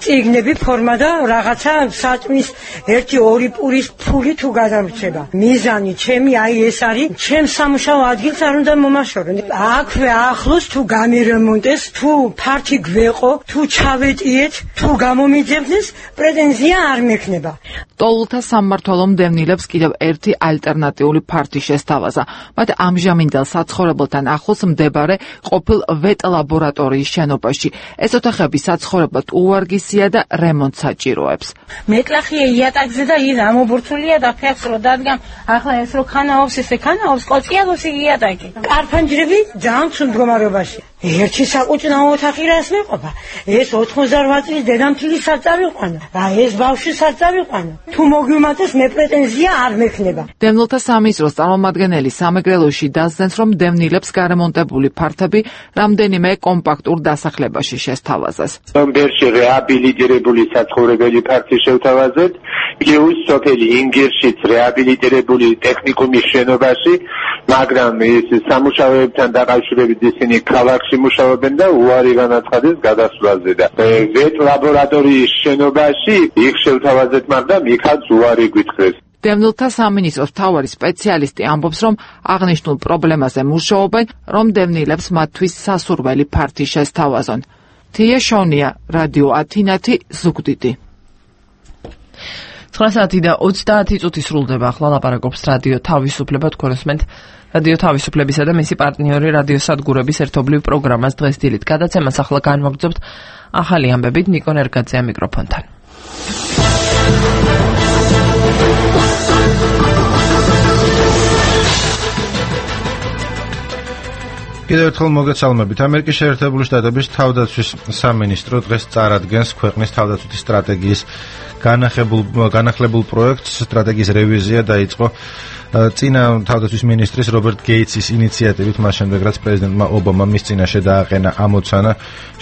წიგნები, ფორმა და რაღაცა საჭმის ერთი ორი პურის ფული თუ გადამრჩება. მიზანი ჩემი აი ეს არის, ჩემ სამუშაო ადგილს არ უნდა მომაშორონ. აქვე ახლოს თუ გამირემონტეს, თუ ფართი გვეყო, თუ ჩავეტიეთ, თუ გამომიძებდეს, პრეტენზია არ მექნება. ტოლთა სამმართველო დევნილებს კიდევ ერთი ალტერნატიული ფართი შესთავაზა. მათ ამჟამინდელ საცხოვრებელთან ახლოს მდებარე ყოფილ ვეტ ლაბორატორიის შენობაში. ეს ოთახები საცხოვრებლად უვარგისია და რემონტს საჭიროებს. მეტლახია იატაკზე და ის ამობურცულია და ფეხს რო დადგამ, ახლა ეს რო ქანაობს, ესე ქანაობს, კოწიალოს იატაკი. კარფანჯრები ძალიან ცუდ მდგომარეობაში. ერთი საკუჭნაო ოთახი რას მეყოფა? ეს ოთხმოცდაოთხ წლის დედამთილის საწავიყვანა. რა ეს ბავშვის საწავიყვანა? თუ მოგვიმატეს მე პრეტენზია არ მექნება. დევნილთა სამინისტროს წარმომადგენელი სამეგრელოში დასძენს, რომ დევნილებს გარემონტებული ფართები რამდენიმე კომპაქტურ დასახლებაში შესთავაზეს. ოქტომბერში რეაბილიტირებული საცხოვრებელი ფართი შევთავაზეთ, გეუს სოფელი ინგირშიც რეაბილიტირებული ტექნიკუმის შენობაში, მაგრამ ეს სამუშაოებთან დაკავშირებით ისინი ქალაქში მუშაობენ და უარი განაცხადეს გადასვლაზე და ვეტ ლაბორატორიის შენობაში იქ შევთავაზეთ, მაგრამ იქაც უარი გვითხრეს. დევნილთა სამინისტროს მთავარი სპეციალისტი ამბობს, რომ აღნიშნულ პრობლემაზე მუშაობენ, რომ დევნილებს მათთვის სასურველი ფართი შესთავაზონ. თია შონია, რადიო ათინათი, ზუგდიდი. ცხრა საათი და ოცდაათი წუთი სრულდება. ახლა ლაპარაკობს რადიო თავისუფლება, თქვენ უსმენთ რადიო თავისუფლებისა და მისი პარტნიორი რადიო სადგურების ერთობლივ პროგრამას დღეს დილით. გადაცემას ახლა განვაგრძობთ ახალი ამბებით ნიკო ნერგაძეა მიკროფონთან. კიდევ ერთხელ მოგესალმებით. ამერიკის შეერთებული შტატების თავდაცვის სამინისტრო დღეს წარადგენს ქვეყნის თავდაცვითი სტრატეგიის განახლებულ განახლებულ პროექტს. სტრატეგიის რევიზია დაიწყო წინა თავდაცვის მინისტრის რობერტ გეიტსის ინიციატივით, მას შემდეგ რაც პრეზიდენტმა ობამამ მის წინაშე დააყენა ამოცანა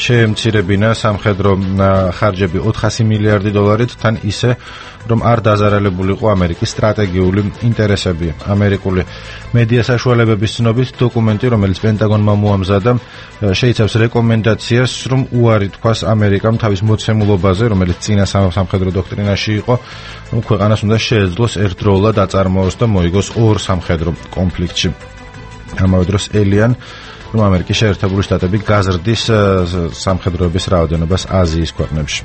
შეემცირებინა სამხედრო ხარჯები ოთხასი მილიარდი დოლარით, თან ისე რომ არ დაზარალებულიყო ამერიკის სტრატეგიული ინტერესები. ამერიკული მედია საშუალებების ცნობით დოკუმენტი, რომელიც პენტაგონმა მოამზადა, შეიცავს რეკომენდაციას, რომ უარი თქვას ამერიკამ თავის მოცემულობაზე, რომელიც წინა სამხედრო დოქტრინაში იყო, რომ ქვეყანას უნდა შეეძლოს ერთდროულად აწარმოოს და მოიგოს ორ სამხედრო კონფლიქტში. ამავე დროს ელიან, რომ ამერიკის შეერთებული შტატები გაზრდის სამხედროების რაოდენობას აზიის ქვეყნებში.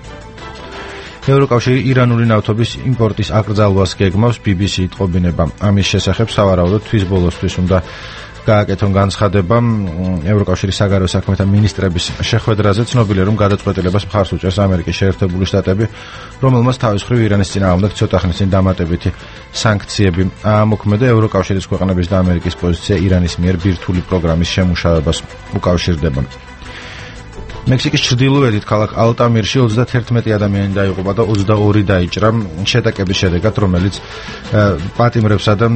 ევროკავშირი ირანული ნავთობის იმპორტის აკრძალვას გეგმავს, ბი ბი სი იტყობინება. ამის შესახებ სავარაუდოდ თვის ბოლოსთვის უნდა გააკეთონ განცხადება ევროკავშირის საგარეო საქმეთა მინისტრების შეხვედრაზე. ცნობილია, რომ გადაწყვეტილებას მხარს უჭერს ამერიკის შეერთებული შტატები, რომელმაც თავის მხრივ ირანის წინააღმდეგ ცოტა ხნის წინ დამატებითი სანქციები აამოქმედა. ევროკავშირის ქვეყნების და ამერიკის პოზიცია ირანის მიერ ბირთვული პროგრამის შემუშავებას უკავშირდება. მექსიკის ჩრდილოეთით ქალაქ ალტამირში ოცდაათი ადამიანი დაიღუპა და ოცდაორი დაიჭრა შეტაკების შედეგად, რომელიც პატიმრებსა და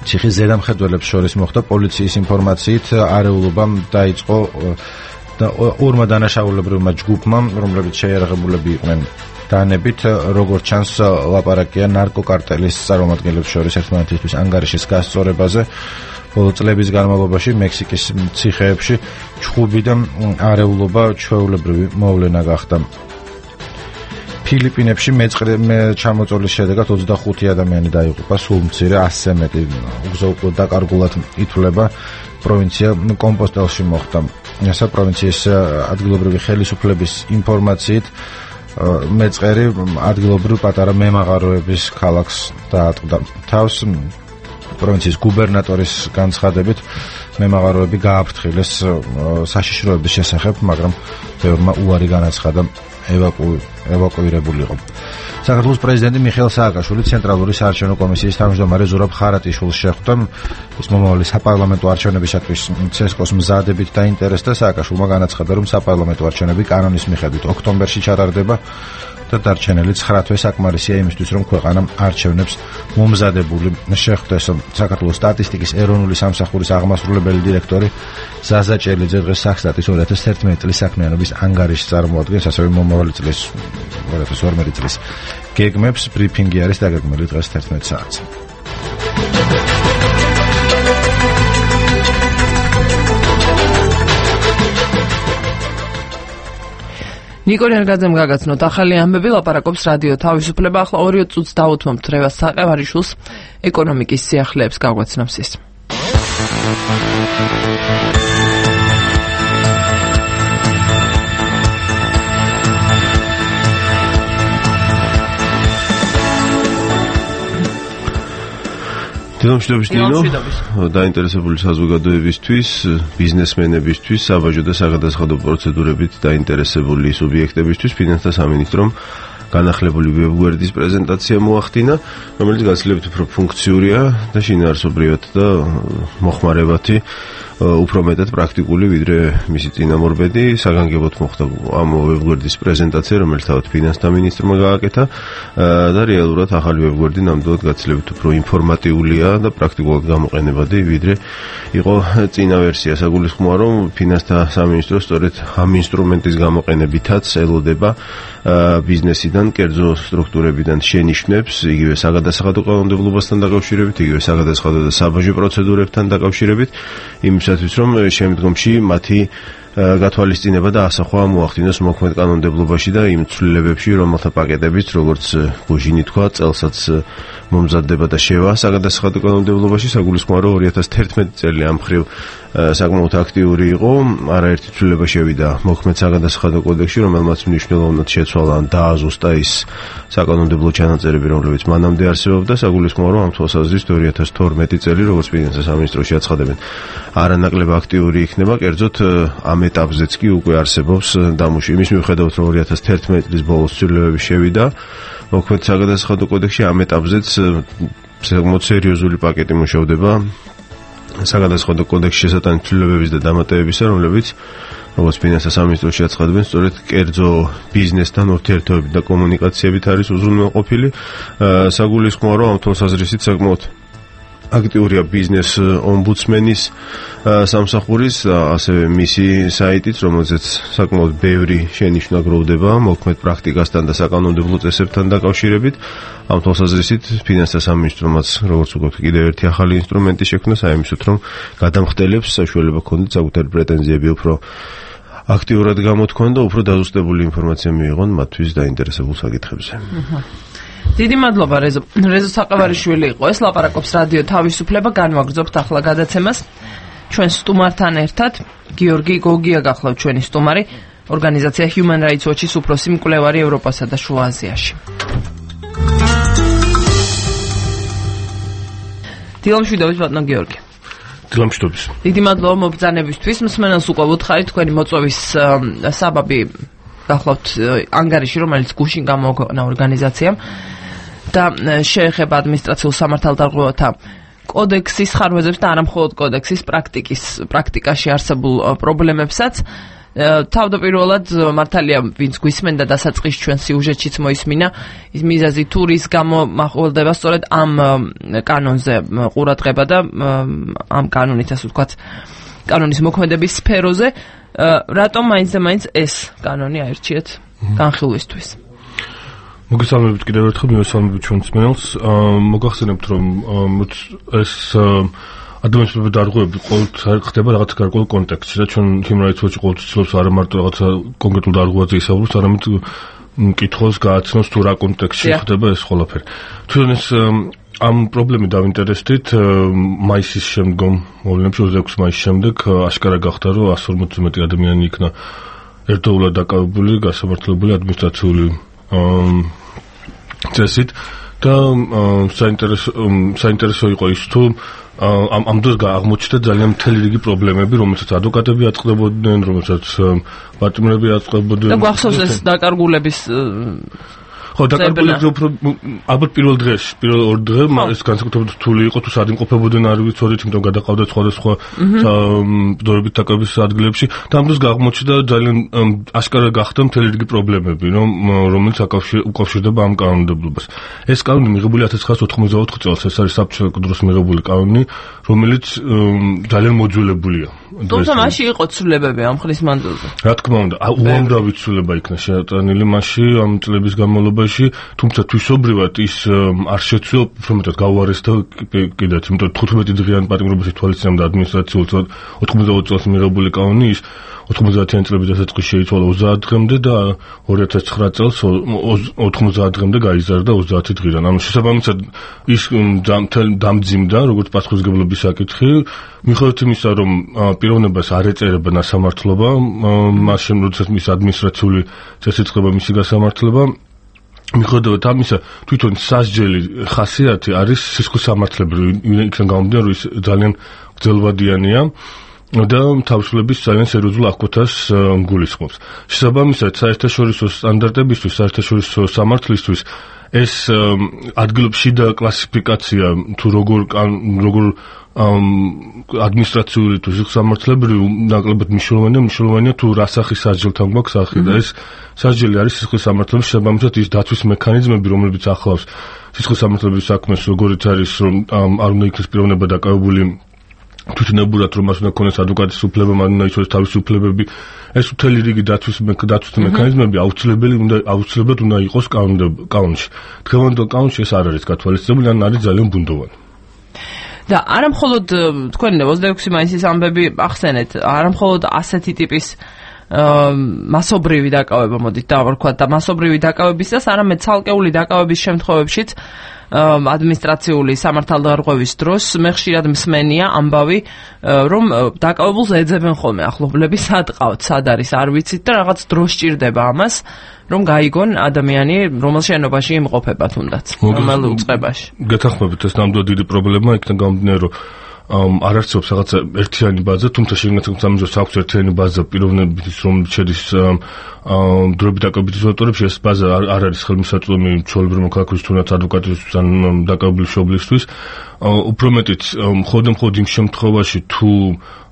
ციხის ზედამხედველებს შორის მოხდა. პოლიციის ინფორმაციით არეულობა დაიწყო და ორმა დანაშაულებრივმა ჯგუფმა, რომლებიც შეიარაღებულები იყვნენ. დანებით, როგორც ჩანს, ლაპარაკია ნარკოკარტელის წარმომადგენლებს შორის ერთმანეთისთვის ანგარიშის გასწორებაზე. ბოლო წლების განმავლობაში მექსიკის ციხეებში ჩხუბი და არეულობა ჩვეულებრივი მოვლენა გახდა. ფილიპინებში მეწყრე ჩამოწოლის შედეგად ოცდახუთი ადამიანი დაიღუპა, სულ მცირე ასზე მეტი უგზო დაკარგულად ითვლება. პროვინცია კომპოსტელში მოხდა. ესა პროვინციის ადგილობრივი ხელისუფლების ინფორმაციით მეწყერი ადგილობრივ პატარა მემაღაროების ქალაქს დაატყდა თავს. პროვინციის გუბერნატორის განცხადებით მემაღაროები გააფრთხილეს საშიშროების შესახებ, მაგრამ ბევრმა უარი განაცხადა ევაკუირებულიყო. საქართველოს პრეზიდენტი მიხეილ სააკაშვილი ცენტრალური საარჩევნო კომისიის თავმჯდომარე ზურაბ ხარატიშვილს შეხვდა. ის მომავალი საპარლამენტო არჩევნებისათვის ცესკოს მზადებით დაინტერესდა. სააკაშვილმა განაცხადა, რომ საპარლამენტო არჩევნები კანონის მიხედვით ოქტომბერში ჩატარდება და დარჩენილი ცხრა თვე საკმარისია იმისთვის, რომ ქვეყანა არჩევნებს მომზადებული შეხვდეს. საქართველოს სტატისტიკის ეროვნული სამსახურის აღმასრულებელი დირექტორი ზაზა ჭელიძე დღეს საქსტატის ორი ათას ერთმეტი წლის საქმიანობის ანგარიშს წარმოადგენს, ასევე მომავალი წლის ორი ათას ორმეტი წლის გეგმებს. ბრიფინგი არის დაგეგმილი დღეს თერთმეტ საათზე. ნიკო ნერგაძემ გაგაცნოთ ახალი ამბები, ლაპარაკობს რადიო თავისუფლება. ახლა ორი წუთს დაუთმობთ რევას საყევარიშვილს, ეკონომიკის სიახლეებს გაგვაცნობს ის. დილომშვიდობის დინო, დაინტერესებული საზოგადოებისთვის, ბიზნესმენებისთვის, საბაჟო და საგადასახადო პროცედურებით დაინტერესებული სუბიექტებისთვის ფინანსთა სამინისტრომ განახლებული ვებგვერდის პრეზენტაცია მოახდინა, რომელიც გაცილებით უფრო ფუნქციურია და შინაარსობრივად და მოხმარებათი, უფრო მეტად პრაქტიკული, ვიდრე მისი წინამორბედი. საგანგებოდ მოხდა ამ ვებგვერდის პრეზენტაცია, რომელიც თავად ფინანსთა მინისტრმა გააკეთა და რეალურად ახალი ვებგვერდი ნამდვილად გაცილებით უფრო ინფორმატიულია და პრაქტიკულად გამოყენებადი, ვიდრე იყო წინა ვერსია. საგულისხმოა, რომ ფინანსთა სამინისტრო სწორედ ამ ინსტრუმენტის გამოყენებითაც ელოდება ბიზნესიდან, კერძო სტრუქტურებიდან შენიშვნებს, იგივე საგადასახადო კანონმდებლობასთან დაკავშირებით, იგივე საგადასახადო და საბაჟო პროცედურებთან დაკავშირებით, იმისათვის, რომ შემდგომში მათი გათვალისწინება და ასახვა მოახდინოს მოქმედ კანონმდებლობაში და იმ ცვლილებებში, რომელთა პაკეტებით, როგორც ბუჟინი თქვა, წელსაც მომზადდება და შევა საგადასახადო კანონმდებლობაში, საგულისხმოა, რომ ორი ათას თერთმეტი წელი ამ მხრივ საკმაოდ აქტიური იყო, არაერთი ცვლილება შევიდა მოქმედ საგადასახადო კოდექსში, რომელმაც მნიშვნელოვნად შეცვალა ან დააზუსტა ის საკანონმდებლო ჩანაწერები, რომლებიც მანამდე არსებობდა, საგულისხმოა, რომ ამ თვალსაზრისით ორი ათას თორმეტი წელი, როგორც ფინანსთა სამინისტროში აცხადებენ, არანაკლებად აქტიური იქნება, კერძოდ ამ ეტაპზეც კი უკვე არსებობს დამუშავება. იმის მიუხედავად, რომ ორი ათას თერთმეტი წლის ბოლოს ცვლილებები შევიდა მოქმედ საგადასახადო კოდექსში, ამ ეტაპზეც საკმაოდ სერიოზული პაკეტი მუშავდება საგადასახადო კოდექსში შესატანილი ცვლილებების და დამატებებისა, რომლებიც როგორც ფინანსთა სამინისტროში აცხადებენ, სწორედ კერძო ბიზნესთან ურთიერთობებით და კომუნიკაციებით არის უზრუნველყოფილი. საგულისხმოა, რომ ამ თვალსაზრისით საკმაოდ აქტიურია ბიზნეს ომბუდსმენის სამსახურის, ასევე მისი საიტიც, რომელზეც საკმაოდ ბევრი შენიშვნა გროვდება მოქმედ პრაქტიკასთან და საკანონმდებლო წესებთან დაკავშირებით. ამ თვალსაზრისით ფინანსთა სამინისტრომაც, როგორც ვუყურებთ, კიდევ ერთი ახალი ინსტრუმენტი შექმნა საიმისოთ, რომ გადამხდელებს საშუალება ჰქონდეთ საკუთარი პრეტენზიები უფრო აქტიურად გამოთქვან და უფრო დაზუსტებული ინფორმაცია მიიღონ მათთვის დაინტერესებულ საკითხებზე. დიდი მადლობა რეზო. რეზო საყევარიშვილი იყო ეს, ლაპარაკობს რადიო თავისუფლება, განვაგრძობთ ახლა გადაცემას. ჩვენ სტუმართან ერთად გიორგი გოგია გახლავთ ჩვენი სტუმარი, ორგანიზაცია Human Rights Watch-ის უფროსი მკვლევარი ევროპასა და შუა აზიაში. დილამშვიდობის ბატონო გიორგი. დილამშვიდობის. დიდი მადლობა მობრძანებისთვის. მსმენელს უკვე ვუთხარით თქვენი მოწვევის საბაბი გახლავთ ანგარიში, რომელიც გუშინ გამოაქვეყნა ორგანიზაციამ და შეეხება ადმინისტრაციულ სამართალდარღვევათა კოდექსის ხარვეზებს და არამხოლოდ კოდექსის პრაქტიკის პრაქტიკაში არსებულ პრობლემებსაც. თავდაპირველად მართალია, ვინც გვისმენდა დასაწყის ჩვენ სიუჟეტშიც მოისმინა, ის მიზეზი თუ რის გამო მახველდება სწორედ ამ კანონზე ყურადღება და ამ კანონით, ასე ვთქვათ, კანონის მოქმედების სფეროზე. რატომ მაინც და მაინც ეს კანონი აირჩიეთ განხილვისთვის? მოგესალმებით კიდევ ერთხელ, მივესალმებით ჩვენ მსმენელს. მოგახსენებთ, რომ ეს ადამიანის დარღვევები ყოველთვის ხდება რაღაც გარკვეულ კონტექსტში და ჩვენ Human Rights Watch ყოველთვის ცდილობს არა მარტო რაღაცა კონკრეტულ დარღვევაზე ისაუბროს, არამედ მკითხველს გააცნოს თუ რა კონტექსტში ხდება ეს ყველაფერი. თვითონ ეს ამ პრობლემით დავინტერესდით მაისის შემდგომ, მოვლენებში ოცდაექვსი მაისის შემდეგ აშკარა გახდა, რომ εκατს ორმოცი მეტი ადამიანი იქნა ერთდროულად დაკავებული, გასამართლებული ადმინისტრაციული წესით და საინტერესო საინტერესო იყო ის, თუ ამ ამ დროს აღმოჩნდა ძალიან მთელი რიგი პრობლემები, რომელსაც ადვოკატები აწყდებოდნენ, რომელსაც პარტნიორები აწყდებოდნენ. და გვახსოვს ეს დაკარგულების ხო, დაკარგულების უფრო ალბათ პირველ დღეში, პირველ ორ დღე ეს განსაკუთრებით რთული იყო, თუ სად იმყოფებოდნენ არ ვიცოდით, იმიტომ გადაყავდათ სხვადასხვა ბრძოლებით დაკავების ადგილებში და ამ დროს აღმოჩნდა ძალიან აშკარა გახდა მთელი რიგი პრობლემები, რომელიც უკავშირდება ამ კანონმდებლობას. ეს კანონი მიღებული ათას ცხრაასი ოთხმოცდაოთხ წელს, ეს არის საბჭოთა დროს მიღებული კანონი, რომელიც ძალიან მოძველებულია. თუმცა მასში იყო ცვლილებები ამ ხნის მანძილზე. რა თქმა უნდა, უამრავი ცვლილება იქნა შეატანილი მასში ამ წლების განმავლობაში, თუმცა თვისობრივად ის არ შეცვლა, უფრო მეტად გაუარესდა კიდეც, იმიტომ თხუთმეტი დღიანი პატიმრობის თვალისწინებდა ადმინისტრაციულ ოთხმოცდაოთხ წელს მიღებული კანონი, ის ოთხმოცდაათიანი წლების დასაწყისში შეიცვალა ოცდაათ დღემდე და ორი ათას ცხრა წელს ოთხმოცდაათ დღემდე გაიზარდა ოცდაათი დღიდან. ანუ შესაბამისად ის დამძიმდა, როგორც პასუხისმგებლობის საკითხი, მიუხედავად იმისა, რომ პიროვნებას არ ეწერება ნასამართლობა, მას შემდეგ, როდესაც მის ადმინისტრაციული წესით ხდება მისი გასამართლება, მიუხედავად ამისა, თვითონ სასჯელი ხასიათი არის სისხლის სამართლებრივი, იქიდან გამომდინარე, რომ ის ძალიან გრძელვადიანია და თავისუფლების ძალიან სერიოზულ აღკვეთას გულისხმობს. შესაბამისად, საერთაშორისო სტანდარტებისთვის, საერთაშორისო სამართლისთვის ეს ადგილობრივი შიდა კლასიფიკაცია თუ როგორ როგორ ადმინისტრაციული თუ სისხლისამართლებრივი ნაკლებად მნიშვნელოვანია, მნიშვნელოვანია თუ რა სახის სასჯელთან გვაქვს სახი და ეს სასჯელი არის სისხლისამართლების, შესაბამისად ის დაცვის მექანიზმები, რომლებიც ახლავს სისხლისამართლების საქმეს, როგორიც არის რომ არ უნდა იქნეს პიროვნება დაკავებული თვითნებურად, რომ მას უნდა ქონდეს ადვოკატის უფლება, მან უნდა იცოდეს თავისი უფლებები. ეს მთელი რიგი დაცვის დაცვის მექანიზმები აუცილებელი უნდა აუცილებლად უნდა იყოს კანონში. დღევანდელ კანონში ეს არ არის გათვალისწინებული, ან არის ძალიან ბუნდოვანი. და არამხოლოდ თქვენ ოცდაექვსი მაისის ამბები ახსენეთ, არამხოლოდ ასეთი ტიპის მასობრივი დაკავება მოდით დავარქვათ და მასობრივი დაკავებისას, არამედ ცალკეული დაკავების შემთხვევებშიც ადმინისტრაციული სამართალდარღვევის დროს მე ხშირად მსმენია ამბავი, რომ დაკავებულს ეძებენ ხოლმე ახლობლები, სად ყავთ, სად არის, არ ვიცით და რაღაც დრო სჭირდება ამას, რომ გაიგონ ადამიანი, რომელ შენობაში იმყოფება თუნდაც, რომელ უწყებაში. გეთანხმებით, ეს ნამდვილად დიდი პრობლემაა, იქიდან გამომდინარე, რომ არ არსებობს რაღაცა ერთიანი ბაზა, თუმცა შეგნაცემთ სამიზოს აქვს ერთიანი ბაზა პიროვნების, რომელიც შედის დროებით დაკავებით იზოლატორებში, ეს ბაზა არ არის ხელმისაწვდომი ჩვეულებრივი მოქალაქისთვის, თუნდაც ადვოკატისთვის ან დაკავებული მშობლისთვის. უფრო მეტიც, მხოლოდ იმ შემთხვევაში, თუ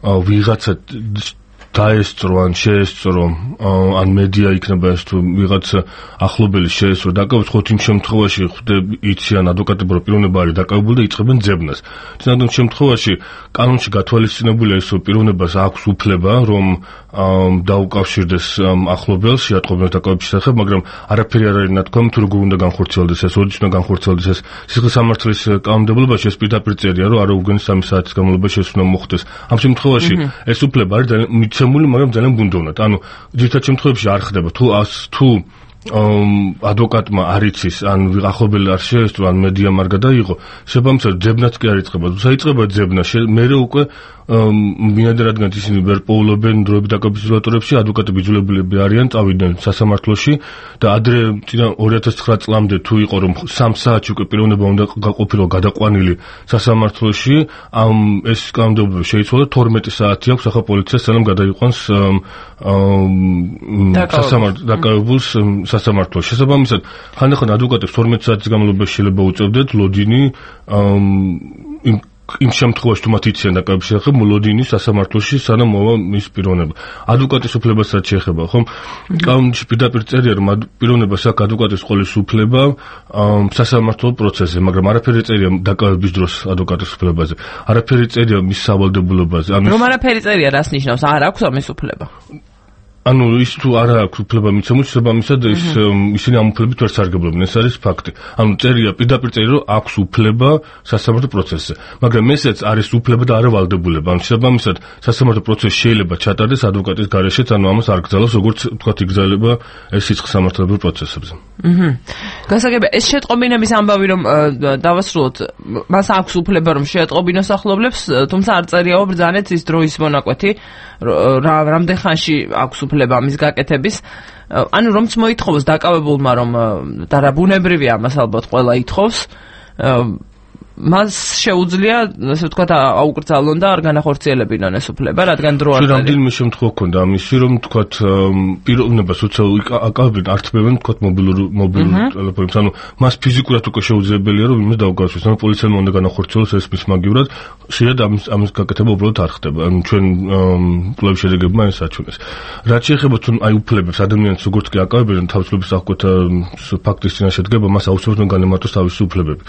ვიღაცა დაესწრო ან შეესწრო ან მედია იქნება ეს თუ ვიღაც ახლობელი შეესწრო დაკავებს, ხოთ იმ შემთხვევაში ხვდები იციან ადვოკატები, რომ პიროვნება არის დაკავებული და იწყებენ ძებნას. თუნდაც შემთხვევაში კანონში გათვალისწინებულია ის, რომ პიროვნებას აქვს უფლება, რომ დაუკავშირდეს ახლობელს შეატყობინოს დაკავების შესახებ, მაგრამ არაფერი არ არის ნათქვამი თუ როგორ უნდა განხორციელდეს ეს, როდის უნდა განხორციელდეს ეს. სისხლის სამართლის კანონმდებლობაში ეს პირდაპირ წერია, რომ არ უგონი სამი საათის განმავლობაში ეს უნდა მოხდეს. ამ შემთხვევაში ეს უფლება არის მიცემული, მაგრამ ძალიან ბუნდოვნად. ანუ ძირითად შემთხვევებში არ ხდება. თუ თუ ადვოკატმა არ იცის, ან ახლობელი არ შეესწრო, ან მედიამ არ გადაიღო, შესაბამისად ძებნაც კი არ იწყება. თუ საიწყება ძებნა, მერე უკვე მინადა რადგან ისინი ვერ პოულობენ დროებით დაკავების იზოლატორებში, ადვოკატები იძულებულები არიან წავიდნენ სასამართლოში და ადრე წინა ორი ათას ცხრა წლამდე თუ იყო რომ სამ საათში უკვე პიროვნება უნდა გაყოფილო გადაყვანილი სასამართლოში, ამ ეს კანონმდებლობა შეიცვალა, თორმეტი საათი აქვს ახლა პოლიციას სანამ გადაიყვანს დაკავებულს სასამართლოში. შესაბამისად, ხანდახან ადვოკატებს თორმეტი საათის განმავლობაში შეიძლება უწევდეთ ლოდინი იმ იმ შემთხვევაში თუ მათ იციან დაკავების შესახებ ლოდინის სასამართლოში სანამ მოვა მის პიროვნება. ადვოკატის უფლებასაც შეეხება, ხომ? კანონში პირდაპირ წერია, რომ პიროვნებას აქვს ადვოკატის ყოლის უფლება სასამართლო პროცესზე, მაგრამ არაფერი წერია დაკავების დროს ადვოკატის უფლებაზე. არაფერი წერია მის სავალდებულობაზე. რომ არაფერი წერია, რას ნიშნავს? არ აქვს ამის უფლება. ანუ ის თუ არ აქვს უფლება მიცემული, შესაბამისად ის ისინი ამ უფლებით ვერ სარგებლობენ, ეს არის ფაქტი. ანუ წერია, პირდაპირ წერია, რომ აქვს უფლება სასამართლო პროცესზე, მაგრამ ესეც არის უფლება და არა ვალდებულება. ანუ შესაბამისად სასამართლო პროცესი შეიძლება ჩატარდეს ადვოკატის გარეშეც, ანუ ამას არ გრძელავს, როგორც თქვათ იგრძელება ეს სიცხის სამართლებრივ პროცესებზე. აჰა. გასაგებია, ეს შეტყობინების ამბავი რომ დავასრულოთ, მას აქვს უფლება რომ შეეტყობინოს ახლობლებს, თუმცა არ წერიაო ბრძანეთ ის დროის მონაკვეთი, რა რამდენ ხანში აქვს უფლება ამის გაკეთების. ანუ რომც მოითხოვოს დაკავებულმა რომ და რა ბუნებრივია ამას ალბათ ყველა ითხოვს, მას შეუძლია, ასე ვთქვათ, აუკრძალონ და არ განახორციელებინონ ეს უფლება, რადგან დრო არ არის. რამდენიმე შემთხვევა ქონდა ამისი, რომ ვთქვათ, პიროვნებას უცებ აკავებენ, ართმევენ, ვთქვათ, მობილურ მობილურ ტელეფონებს. ანუ მას ფიზიკურად უკვე შეუძლებელია, რომ იმას დაუკავშიროს. ანუ პოლიციამ უნდა განახორციელოს ეს მის მაგივრად, შეიძლება ამის ამის გაკეთება უბრალოდ არ ხდება. ანუ ჩვენ კვლევის შედეგებმა ეს აჩვენეს. რაც შეეხება თუ აი უფლებებს ადამიანს როგორც კი აკავებენ, თავისუფლების აღკვეთა ფაქტის წინაშე დგება, მას აუცილებლად განემართოს თავისი უფლებები.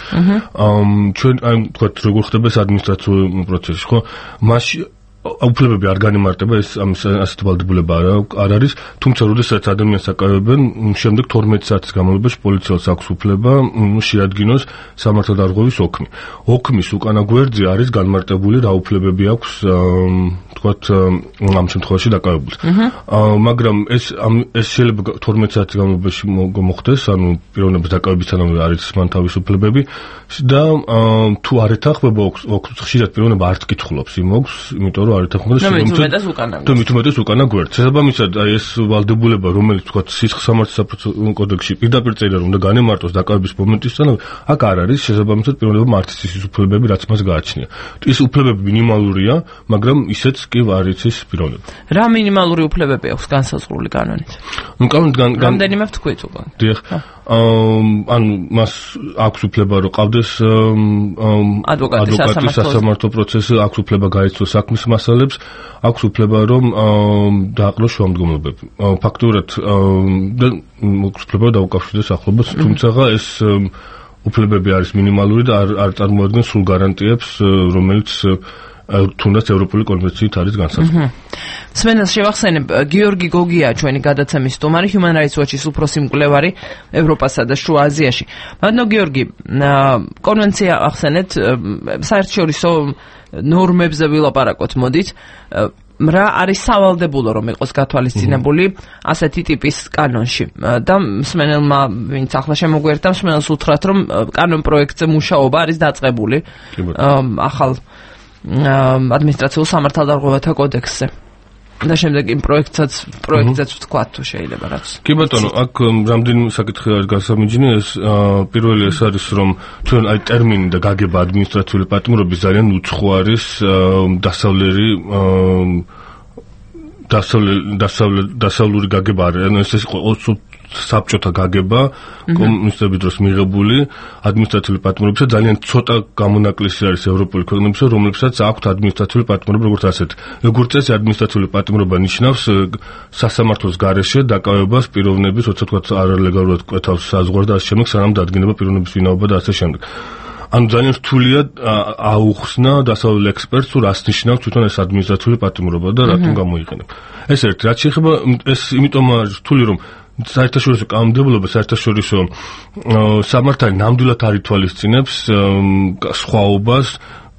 აა ჩვენ აი თქვათ როგორ ხდება ეს ადმინისტრაციული პროცესი, ხო? მასში უფლებები არ განემარტება, ეს ამის ასეთი ვალდებულება არ არის, თუმცა როდესაც ადამიანს აკავებენ, შემდეგ თორმეტი საათის განმავლობაში პოლიციას აქვს უფლება შეადგინოს სამართალდარღვევის ოქმი. ოქმის უკანა გვერდზე არის განმარტებული რა უფლებები აქვს თქვათ ამ შემთხვევაში დაკავებულს. მაგრამ ეს ეს შეიძლება თორმეტი საათის განმავლობაში მოხდეს, ანუ პიროვნების დაკავებისთანავე არის მან თავის უფლებები და თუ არ ეთანხმება ოქს, ხშირად პიროვნება არ თკითხულობს იმ ოქს, იმიტომ რომ არ ეთანხმება შემოწმებას უკანა. თუ მithumetes უკანა გვერდს. შესაბამისად, აი ეს ვალდებულება, რომელიც თქვათ სისხლის სამართლის საპროცესო კოდექსში პირდაპირ წერია, რომ უნდა განემარტოს დაკავების მომენტისთანავე, აქ არ არის, შესაბამისად პიროვნებამ არ იცის ის უფლებები, რაც მას გააჩნია. ის უფლებები მინიმალურია, მაგრამ ისეც კი არ იცის პიროვნება. რა მინიმალური უფლებები აქვს განსაზღვრული კანონით? ნუ კანონით რამდენიმე ვთქვით უკვე. დიახ. ანუ მას აქვს უფლება რომ ყავდეს ადვოკატის სასამართლო პროცესი, აქვს უფლება გაეცნოს საქმის მასალებს, აქვს უფლება რომ დააყროს შუამდგომლობები. ფაქტურად აქვს უფლება დაუკავშირდეს ახლობას, თუმცა ეს უფლებები არის მინიმალური და არ არ წარმოადგენს სრულ გარანტიებს, რომელიც თუნდაც ევროპული კონვენციით არის განსაზღვრული. სმენელს შევახსენებ, გიორგი გოგია ჩვენი გადაცემის სტუმარი, Human Rights Watch-ის უფროსი მკვლევარი ევროპასა და შუა აზიაში. ბატონო გიორგი, კონვენცია ახსენეთ, საერთაშორისო ნორმებზე ვილაპარაკოთ მოდით. რა არის სავალდებულო რომ იყოს გათვალისწინებული ასეთი ტიპის კანონში და მსმენელმა ვინც ახლა შემოგვიერთდა მსმენელს უთხრათ რომ კანონ პროექტზე მუშაობა არის დაწყებული ახალ ადმინისტრაციულ სამართალდარღვევათა კოდექსზე და შემდეგ იმ პროექტსაც პროექტზეც ვთქვათ თუ შეიძლება რაც კი ბატონო აქ რამდენიმე საკითხი არის გასამიჯნი ეს პირველი ეს არის რომ ჩვენ აი ტერმინი და გაგება ადმინისტრაციული პატიმრობის ძალიან უცხო არის დასავლერი დასავლური გაგება არის ეს საბჭოთა გაგება კომუნისტების დროს მიღებული ადმინისტრაციული პატიმრობისა ძალიან ცოტა გამონაკლისი არის ევროპული ქვეყნებისა რომლებსაც აქვთ ადმინისტრაციული პატიმრობა როგორც ასეთი როგორც წესი ადმინისტრაციული პატიმრობა ნიშნავს სასამართლოს გარეშე დაკავებას პიროვნების როცა თქვა არალეგალურად კვეთავს საზღვარს და ასე შემდეგ სანამ დადგინება პიროვნების ვინაობა და ასე შემდეგ ანუ ძალიან რთულია აუხსნა დასავლელ ექსპერტს თუ რას ნიშნავს თვითონ ეს ადმინისტრაციული პატიმრობა და რატომ გამოიყენება ეს ერთი რაც შეეხება ეს იმიტომ არის რთული რომ საერთაშორისო კანონმდებლობა საერთაშორისო სამართალი ნამდვილად არ ითვალისწინებს სხვაობას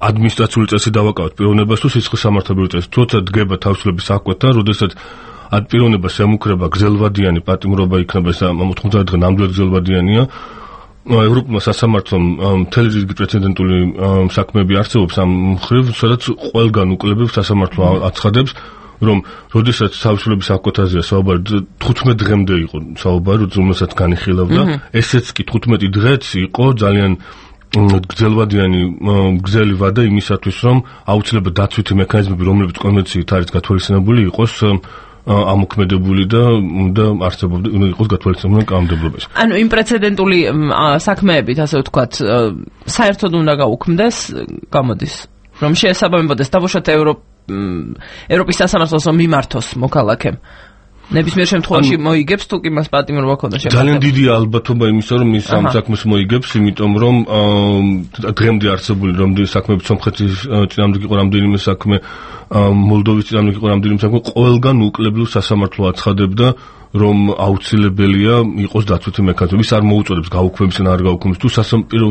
ადმინისტრაციული წესი დავაკავოთ პიროვნებას თუ სისხლის სამართლებრივი წესი თუმცა დგება თავისუფლების აკვეთა როდესაც ad პიროვნებას ემუქრება გრძელვადიანი პატიმრობა იქნება ეს მოთხმოცდაათი დღე ნამდვილად გრძელვადიანია ევროპულმა სასამართლომ მთელი რიგი პრეცედენტული საქმეები არსებობს ამ მხრივ სადაც ყველგან უკლებებს სასამართლო აცხადებს რომ როდესაც თავისუფლების აკვეთაზეა საუბარი თხუთმეტ დღემდე იყო საუბარი რომელსაც განიხილავდა ესეც კი თხუთმეტი დღეც იყო ძალიან გრძელვადიანი გრძელი ვადა იმისათვის რომ აუცილებლად დაცვითი მექანიზმები რომლებიც კონვენციით არის გათვალისწინებული იყოს ამოქმედებული და უნდა არსებობდეს უნდა იყოს გათვალისწინებული კანონმდებლობაში. ანუ იმ პრეცედენტული საქმეებით ასე ვთქვათ საერთოდ უნდა გაუქმდეს გამოდის რომ შეესაბამებოდეს დავუშვათ ევროპ ევროპის სასამართლოს მიმართოს მოქალაქემ ნებისმიერ შემთხვევაში მოიგებს თუ კი მას პატიმრობა ქონდა შეფასება. ძალიან დიდი ალბათობა იმისა რომ ის ამ საქმეს მოიგებს, იმიტომ რომ დღემდე არსებული რამდენი საქმეები სომხეთის წინააღმდეგ იყო რამდენიმე საქმე, მოლდოვის წინააღმდეგ იყო რამდენიმე საქმე, ყველგან უკლებლივ სასამართლო აცხადებდა რომ აუცილებელია იყოს დაცვითი მექანიზმი. ის არ მოუწოდებს გაუქმების ან არ გაუქმების. თუ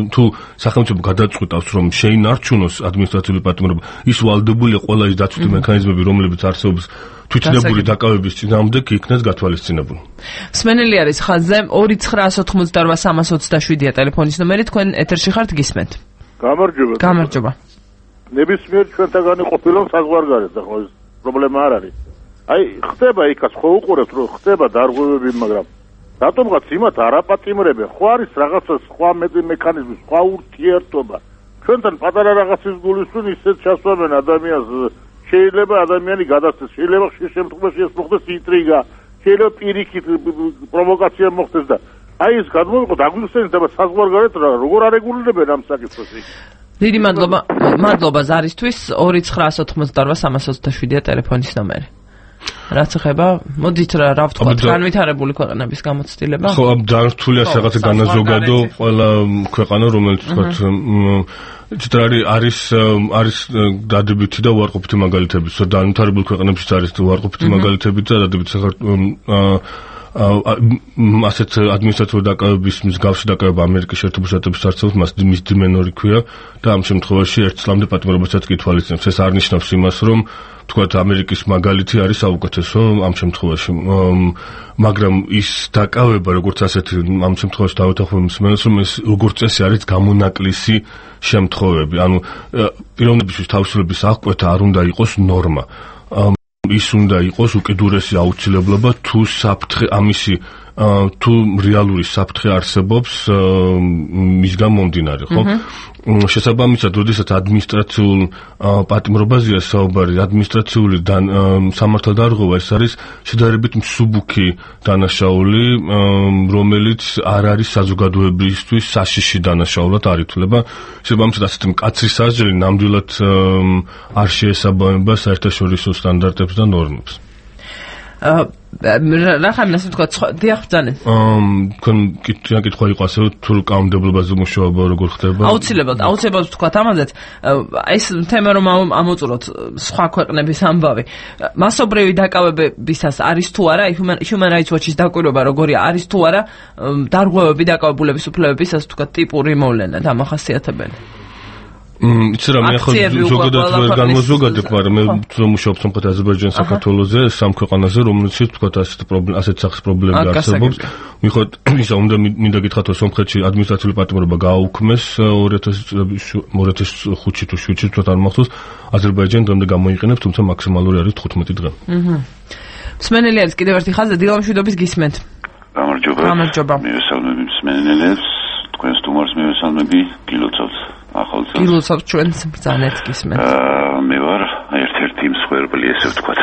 თუ სახელმწიფო გადაწყვეტავს რომ შეინარჩუნოს ადმინისტრაციული პატიმრობა, ის ვალდებულია ყველა ის დაცვითი მექანიზმები, რომლებიც არსებობს თვითნებური დაკავების წინააღმდეგ იქნეს გათვალისწინებული. სმენელი არის ხაზზე ორი ცხრაას ოთხმოცდაორვა სამას ოცდაშვიდია ტელეფონის ნომერი თქვენ ეთერში ხართ გისმენთ. გამარჯობა. გამარჯობა. ნებისმიერ ჩვენთაგანი ყოფილონ საზღვარგარეთ ახლა ეს პრობლემა არ არის. აი ხდება იქაც ხო უყურებთ რომ ხდება დარღვევები მაგრამ რატომღაც იმათ არაპატიმრებენ ხო არის რაღაცა სხვა მექანიზმი სხვა ურთიერთობა ჩვენთან პატარა რაღაცის გულისხმობ ისეთ ჩასვამენ ადამიანს შეიძლება ადამიანი გადასცეს შეიძლება ხშირ შემთხვევაში ეს მოხდეს ინტრიგა შეიძლება პირიქით პროვოკაცია მოხდეს და აი ეს გადმოვიყო დაგვიხსენდება საზღვარგარეთ როგორ არეგულირებენ ამ საკითხს დიდი მადლობა მადლობა ზარისთვის ორი ცხრაას ოთხმოცდაორვა სამას ოცდაშვიდია ტელეფონის ნომერი რაც ეხება მოდით რა რა ვთქვათ განვითარებული ქვეყნების გამოცდილება ხო ამ დართულია რაღაცა განაზოგადო ყველა ქვეყანა რომელიც ვთქვათ ჭრარი არის არის დადებითი და უარყოფითი მაგალითები განვითარებული ქვეყნებშიც არის უარყოფითი მაგალითები და დადებითი ასეთ ადმინისტრაციული დაკავების მსგავსი დაკავება ამერიკის შეერთებულ შტატებში არსებობს მას მის დიმენორი ქვია და ამ შემთხვევაში ერთ წლამდე პატიმრობასაც კი თვალისწინებს ეს არ ნიშნავს იმას რომ თქვათ ამერიკის მაგალითი არის საუკეთესო ამ შემთხვევაში მაგრამ ის დაკავება როგორც ასეთი ამ შემთხვევაში დავეთანხმებ მსმენელს რომ ეს როგორც წესი არის გამონაკლისი შემთხვევები ანუ პიროვნებისთვის თავისუფლების აღკვეთა არ უნდა იყოს ნორმა ის უნდა იყოს უკიდურესი აუცილებლობა თუ საფრთხე ამისი თუ რეალური საფრთხე არსებობს მისგან მომდინარე ხო შესაბამისად როდესაც ადმინისტრაციულ პატიმრობაზეა საუბარი ადმინისტრაციული სამართალდარღვევა ეს არის შედარებით მსუბუქი დანაშაული რომელიც არ არის საზოგადოებისთვის საშიში დანაშაულად არ ითვლება შესაბამისად ასეთი მკაცრი საზრელი ნამდვილად არ შეესაბამება საერთაშორისო სტანდარტებს და ნორმებს რა ხარ ასე თქვა დიახ ბძაnen ამ თქვენ კითხვა იყო ასე თუ კანონმდებლობაზე მუშაობა როგორ ხდება აუცილებლად აუცილებლად თქვა ამაზეც ეს თემა რომ ამოწუროთ სხვა ქვეყნების ამბავი მასობრივი დაკავებებისას არის თუ არა Human Rights Watch-ის დაკვირვება როგორია არის თუ არა დარღვევები დაკავებულების უფლებებისას თქვა ტიპური მოვლენა დამახასიათებელი იცი რა მე ახლა ზოგადად ვერ განმოზოგადებ, მაგრამ მე ვმუშაობ სამხრეთ აზერბაიჯანის საქართველოზე, სამ ქვეყანაზე, რომელშიც თქვა ასეთ პრობლემა, ასეთ სახის პრობლემები არსებობს. მიხოთ ისა უნდა მინდა გითხრათ, რომ სომხეთში ადმინისტრაციული პატიმრობა გააუქმეს ორი ათას ხუთში თუ შვიდში თქვა არ მახსოვს, აზერბაიჯანი დღემდე გამოიყენებს, თუმცა მაქსიმალური არის თხუთმეტი დღე. აჰა. მსმენელი არის კიდევ ერთი ხაზი, დილა მშვიდობის გისმენთ. გამარჯობა. გამარჯობა. მივესალმები მსმენელებს, თქვენს სტუმარს მივესალმები, გილოცავთ. ახალწელს. გილოცავთ ჩვენს ბრძანეთ გისმენთ. აა მე ვარ ერთ-ერთი მსხვერპლი, ესე ვთქვათ,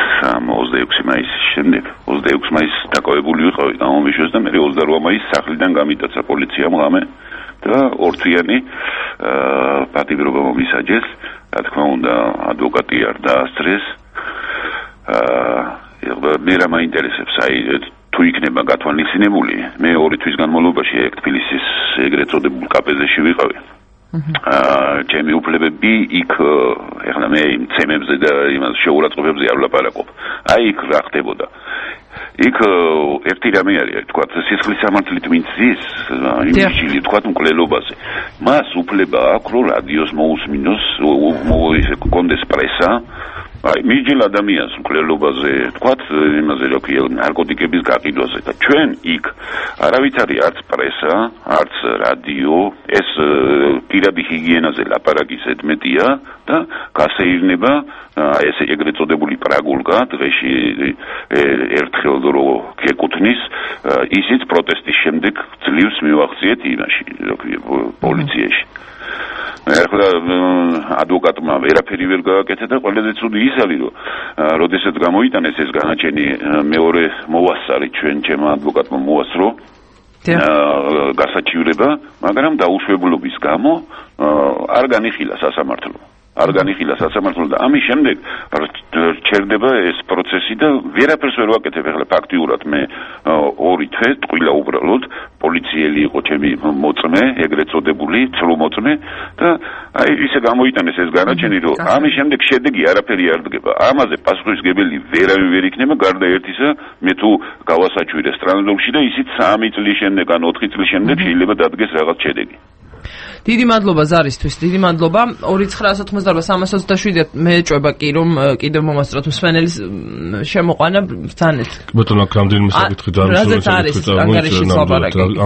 ოცდაექვსი მაისის შემდეგ. ოცდაექვსი მაისს დაკავებული ვიყავი გამომიშვეს და მე ოცდარვა მაისს სახლიდან გამიტაცა პოლიციამ ღამე და ორთვიანი აა პატიმრობა მომისაჯეს. რა თქმა უნდა, ადვოკატი არ დაასწრეს. აა მე რა მაინტერესებს, აი თუ იქნება გათვალისწინებული, მე ორი თვის განმავლობაში ეგ თბილისის ეგრეთ წოდებულ კაპეზე ვიყავი. აა ჩემი უფლებები იქ ეხლა მე იმ ცემებზე და იმას შეურაცხყოფებზე არ ვლაპარაკობ. აი იქ რა ხდებოდა. იქ ერთი რამე არის, თქვა სისხლის სამართლით ვინც ზის, იმიჯილი თქვა მკვლელობაზე. მას უფლება აქვს რომ რადიოს მოусმინოს, კონდეს პრესა. აი მიჯილ ადამიანს მკვლელობაზე, თქვათ იმაზე რა ქვია, ნარკოტიკების გაყიდვაზე და ჩვენ იქ არავით არის არც პრესა, არც რადიო, ეს პირადი ჰიგიენაზე ლაპარაკის ედმეტია და გასეირნება აი ეს ეგრეთ წოდებული პრაგულკა დღეში ერთხელ რო გეკუთვნის ისიც პროტესტის შემდეგ ძლივს მივახციეთ იმაში, რა ქვია, პოლიციაში. ახლა ადვოკატმა ვერაფერი ვერ გააკეთა და ყველაზე ცუდი ის არის, რომ როდესაც გამოიტანეს ეს განაჩენი მეორე მოვასწარი ჩვენ ჩემ ადვოკატმა მოასწრო გასაჩივრება, მაგრამ დაუშვებლობის გამო არ განიხილა სასამართლო. არ განიხილა სასამართლო და ამის შემდეგ რჩერდება ეს პროცესი და ვერაფერს ვერ ვაკეთებ. ახლა ფაქტიურად მე ორი თვე ტყილა უბრალოდ პოლიციელი იყო ჩემი მოწმე, ეგრეთ წოდებული ცრომოწმე და აი ისე გამოიტანეს ეს განაჩენი, რომ ამის შემდეგ შედეგი არაფერი არ დგება. ამაზე პასუხისმგებელი ვერავინ ვერ იქნება გარდა ერთისა, მე თუ გავასაჩვირე სტრანზოლში და ისიც სამი წლის შემდეგ ან ოთხი წლის შემდეგ შეიძლება დადგეს რაღაც შედეგი. დიდი მადლობა ზარისთვის, დიდი მადლობა. ორი ცხრაასი ოთხმოცდაორვა სამას ოცდაშვიდი მე ეჭვება კი რომ კიდევ მომასწროთ მსმენელის შემოყვანა ბრძანეთ. ბატონო, აქ რამდენიმე საკითხი დაარსებobangariში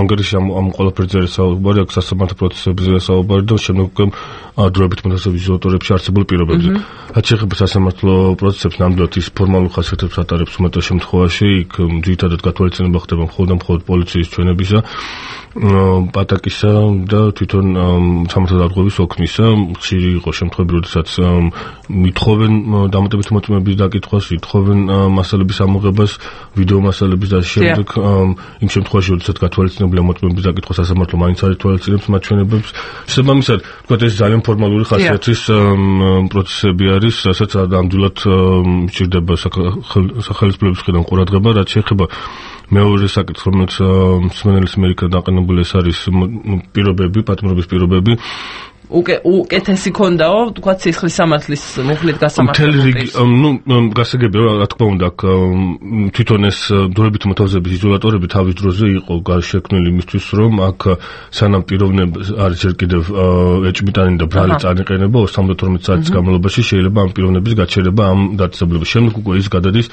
ანგარიში ამ ყველაფერზე არის საუბარი, აქ სასამართლო პროცესებზე საუბარი და შემდეგ დროებით მოთხოვების იზოლატორებში არსებულ პირობებზე. რაც შეეხება სასამართლო პროცესებს, ნამდვილად ის ფორმალურ ხასიათებს ატარებს უმეტეს შემთხვევაში, იქ ძირითადად გათვალისწინება ხდება მხოლოდ და მხოლოდ პოლიციის ჩვენებისა, პატაკისა და თვითონ სამართალ დარღვევის ოქმისა. ხშირი იყო შემთხვევები, როდესაც მithხოვენ დამატებითი მოწმეების დაკითხვას, ითხოვენ მასალების ამოღებას, ვიდეო მასალების და შემდეგ იმ შემთხვევაში, როდესაც გათვალისწინებელია მოწმეების დაკითხვა, სასამართლო მაინც არ ითვალისწინებს მათ ჩვენებებს. შესაბამისად, თქვათ ეს ძალიან ფორმალური ხასიათის პროცესები არის, რასაც ნამდვილად სჭირდება სახელმწიფოების მხრიდან ყურადღება, რაც შეეხება მეორე საკითხს, რომელიც მსმენელის მიერ დაყენებული ეს არის პირობები, პატიმრობის პირობები. უკეთესი ქონდაო, თქვა სისხლის სამართლის მუხლით გასამართლებელი. ნუ გასაგებია, რა თქმა უნდა, თვითონ ეს დროებით მოთავსების იზოლატორები თავის დროზე იყო შექმნილი იმისთვის, რომ აქ სანამ პიროვნები არის ჯერ კიდევ ეჭვმიტანი და ბრალი წანიყენება ოცდაათი საათის განმავლობაში შეიძლება ამ პიროვნების გაჩერება ამ დაწესებულებას. შემდეგ უკვე ის გადადის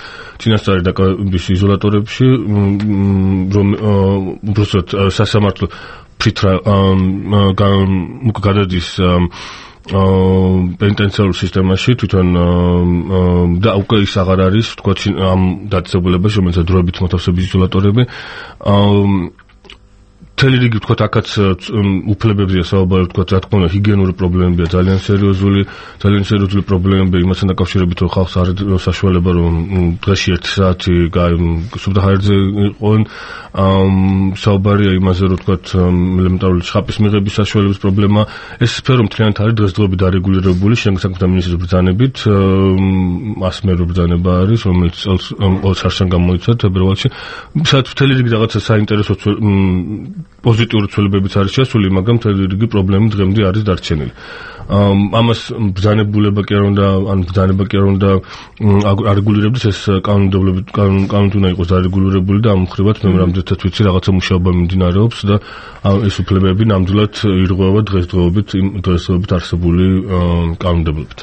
წინასწარი დაკავების იზოლატორებში, რომ უბრალოდ სასამართლო ფრითრა გადადის პენიტენციარულ სისტემაში თვითონ და უკვე ის აღარ არის თქვა ამ დაწესებულებაში, რომელსაც დროებით მოთავსების იზოლატორები. მთელი რიგი ვთქვათ აქაც უფლებებზეა საუბარი ვთქვათ რა თქმა უნდა ჰიგიენური პრობლემებია ძალიან სერიოზული ძალიან სერიოზული პრობლემები იმასთან დაკავშირებით რომ ხალხს არ აქვს საშუალება რომ დღეში ერთი საათი სუფთა ჰაერზე იყვნენ საუბარია იმაზე რომ ვთქვათ ელემენტარული ცხაპის მიღების საშუალების პრობლემა ეს სფერო მთლიანად არის დღესდღეობით არეგულირებული შენგ საქმეთა მინისტრის ბრძანებით ასმერო ბრძანება არის რომელიც წელს არშან გამოიცა თებერვალში სადაც მთელი რიგი რაღაცა საინტერესო პოზიტიური ცვლილებებიც არის შესული, მაგრამ მთელი რიგი პრობლემები დღემდე არის დარჩენილი. ამას ბრძანებულება კი არ უნდა, ან ბრძანება კი არ უნდა არეგულირებდეს ეს კანონმდებლობით კანონით უნდა იყოს დარეგულირებული და ამ მხრივაც მე რამდენადაც ვიცი რაღაცა მუშაობა მიმდინარეობს და ეს უფლებები ნამდვილად ირღვევა დღესდღეობით დღესდღეობით არსებული კანონმდებლობით.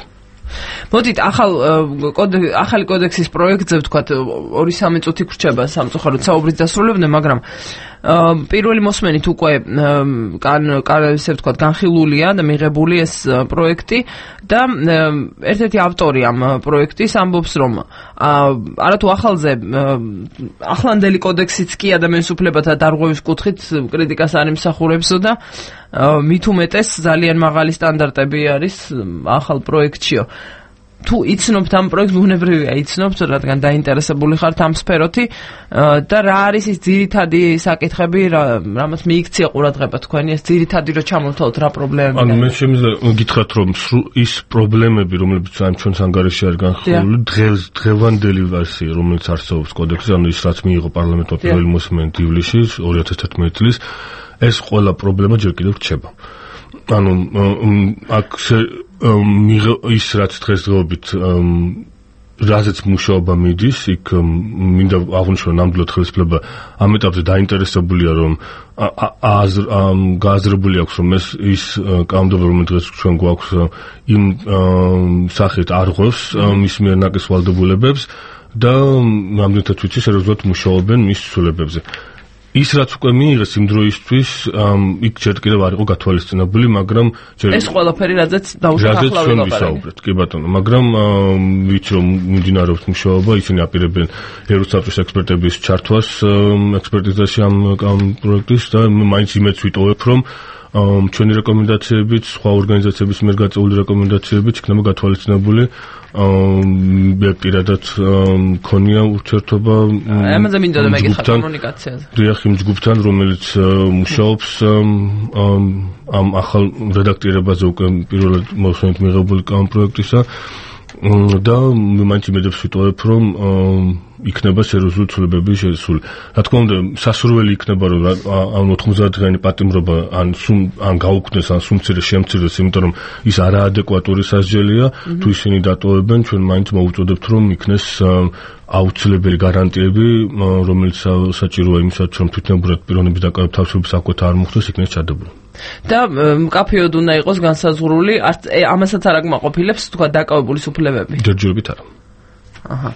მოდით ახალ ახალი კოდექსის პროექტზე ვთქვათ ორი სამი წუთი გრჩება სამწუხაროდ საუბრის დასრულებამდე, მაგრამ პირველი მოსმენით უკვე ისე ვთქვათ განხილულია და მიღებული ეს პროექტი და ერთ-ერთი ავტორი ამ პროექტის ამბობს რომ არათუ ახალზე ახლანდელი კოდექსიც კი ადამიანის უფლებათა დარღვევის კუთხით კრიტიკას არ იმსახურებსო და მით უმეტეს ძალიან მაღალი სტანდარტები არის ახალ პროექტშიო. თუ იცნობთ ამ პროექტს, ბუნებრივია იცნობთ, რადგან დაინტერესებული ხართ ამ სფეროთი და რა არის ის ძირითადი საკითხები, რამაც მიიქცია ყურადღება თქვენი, ეს ძირითადი რო ჩამოვთვალოთ რა პრობლემები. ანუ მე შემიძლია გითხრათ რომ ის პრობლემები, რომლებიც ამ ჩვენს ანგარიშში არის განხილული, დღეს დღევანდელი ვერსია, რომელიც არსებობს კოდექსში, ანუ ის რაც მიიღო პარლამენტმა პირველი მოსმენით ივლისში ორი ათას თერთმეტი წლის, ეს ყველა პრობლემა ჯერ კიდევ რჩება. ანუ აქ ის რაც დღესდღეობით რაზეც მუშაობა მიდის, იქ მინდა აღვნიშნო ნამდვილად ხელისუფლება ამ ეტაპზე დაინტერესებულია რომ გააზრებული აქვს რომ ეს ის კანონმდებლობა რომელიც დღეს ჩვენ გვაქვს იმ სახით არღვევს მის მიერ ნაკის ვალდებულებებს და ნამდვილად ვიცი სერიოზულად მუშაობენ მის ცვლილებებზე. ის რაც უკვე მიიღეს იმ დროისთვის იქ ჯერ კიდევ არ იყო გათვალისწინებული, მაგრამ ეს ყველაფერი რაზეც დაუშვათ ახლა ვისაუბრეთ, კი ბატონო, მაგრამ ვიცი რომ მიმდინარეობს მუშაობა, ისინი აპირებენ ევროსაბჭოს ექსპერტების ჩართვას ექსპერტიზაში ამ პროექტის და მაინც იმედს ვიტოვებ რომ ჩვენი რეკომენდაციებით, სხვა ორგანიზაციების მიერ გაწეული რეკომენდაციებით იქნება გათვალისწინებული. მე პირადად მქონია ურთიერთობა ამაზე მინდა და მეკითხა კომუნიკაციაზე. დიახ, იმ ჯგუფთან, რომელიც მუშაობს ამ ახალ რედაქტირებაზე უკვე პირველად მოსმენით მიღებული კანონპროექტისა და მაინც იმედებს ვიტოვებ რომ იქნება სერიოზული ცვლილებები შესული. რა თქმა უნდა, სასურველი იქნება რომ ამ ოთხმოცდაათი დღიანი პატიმრობა ან სულ ან გაუქმდეს ან სულ მცირე შემცირდეს, იმიტომ რომ ის არაადეკვატური სასჯელია, თუ ისინი დატოვებენ, ჩვენ მაინც მოვუწოდებთ რომ იქნეს აუცილებელი გარანტიები, რომელიც საჭიროა იმისათვის, რომ თვითნებურად პიროვნების დაკავების თავისუფლების აკვეთა არ მოხდეს, იქნეს ჩადებული. და მკაფიოდ უნდა იყოს განსაზღვრული, ამასაც არ აკმაყოფილებს თქვა დაკავებულის უფლებები. ჯერჯერობით არა. აჰა.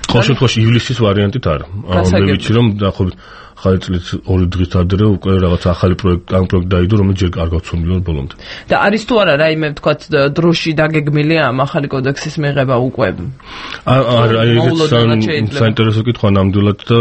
ყოველ შემთხვევაში ივლისის ვარიანტით არა. მე ვიცი რომ დაახლოებით ახალი წლის ორი დღით ადრე უკვე რაღაც ახალი პროექტი, ამ პროექტი დაიდო, რომელიც ჯერ არ გავცნობილა ბოლომდე. და არის თუ არა რაიმე თქვა დროში დაგეგმილია ამ ახალი კოდექსის მიღება უკვე? არა, ეს საინტერესო კითხვა ნამდვილად და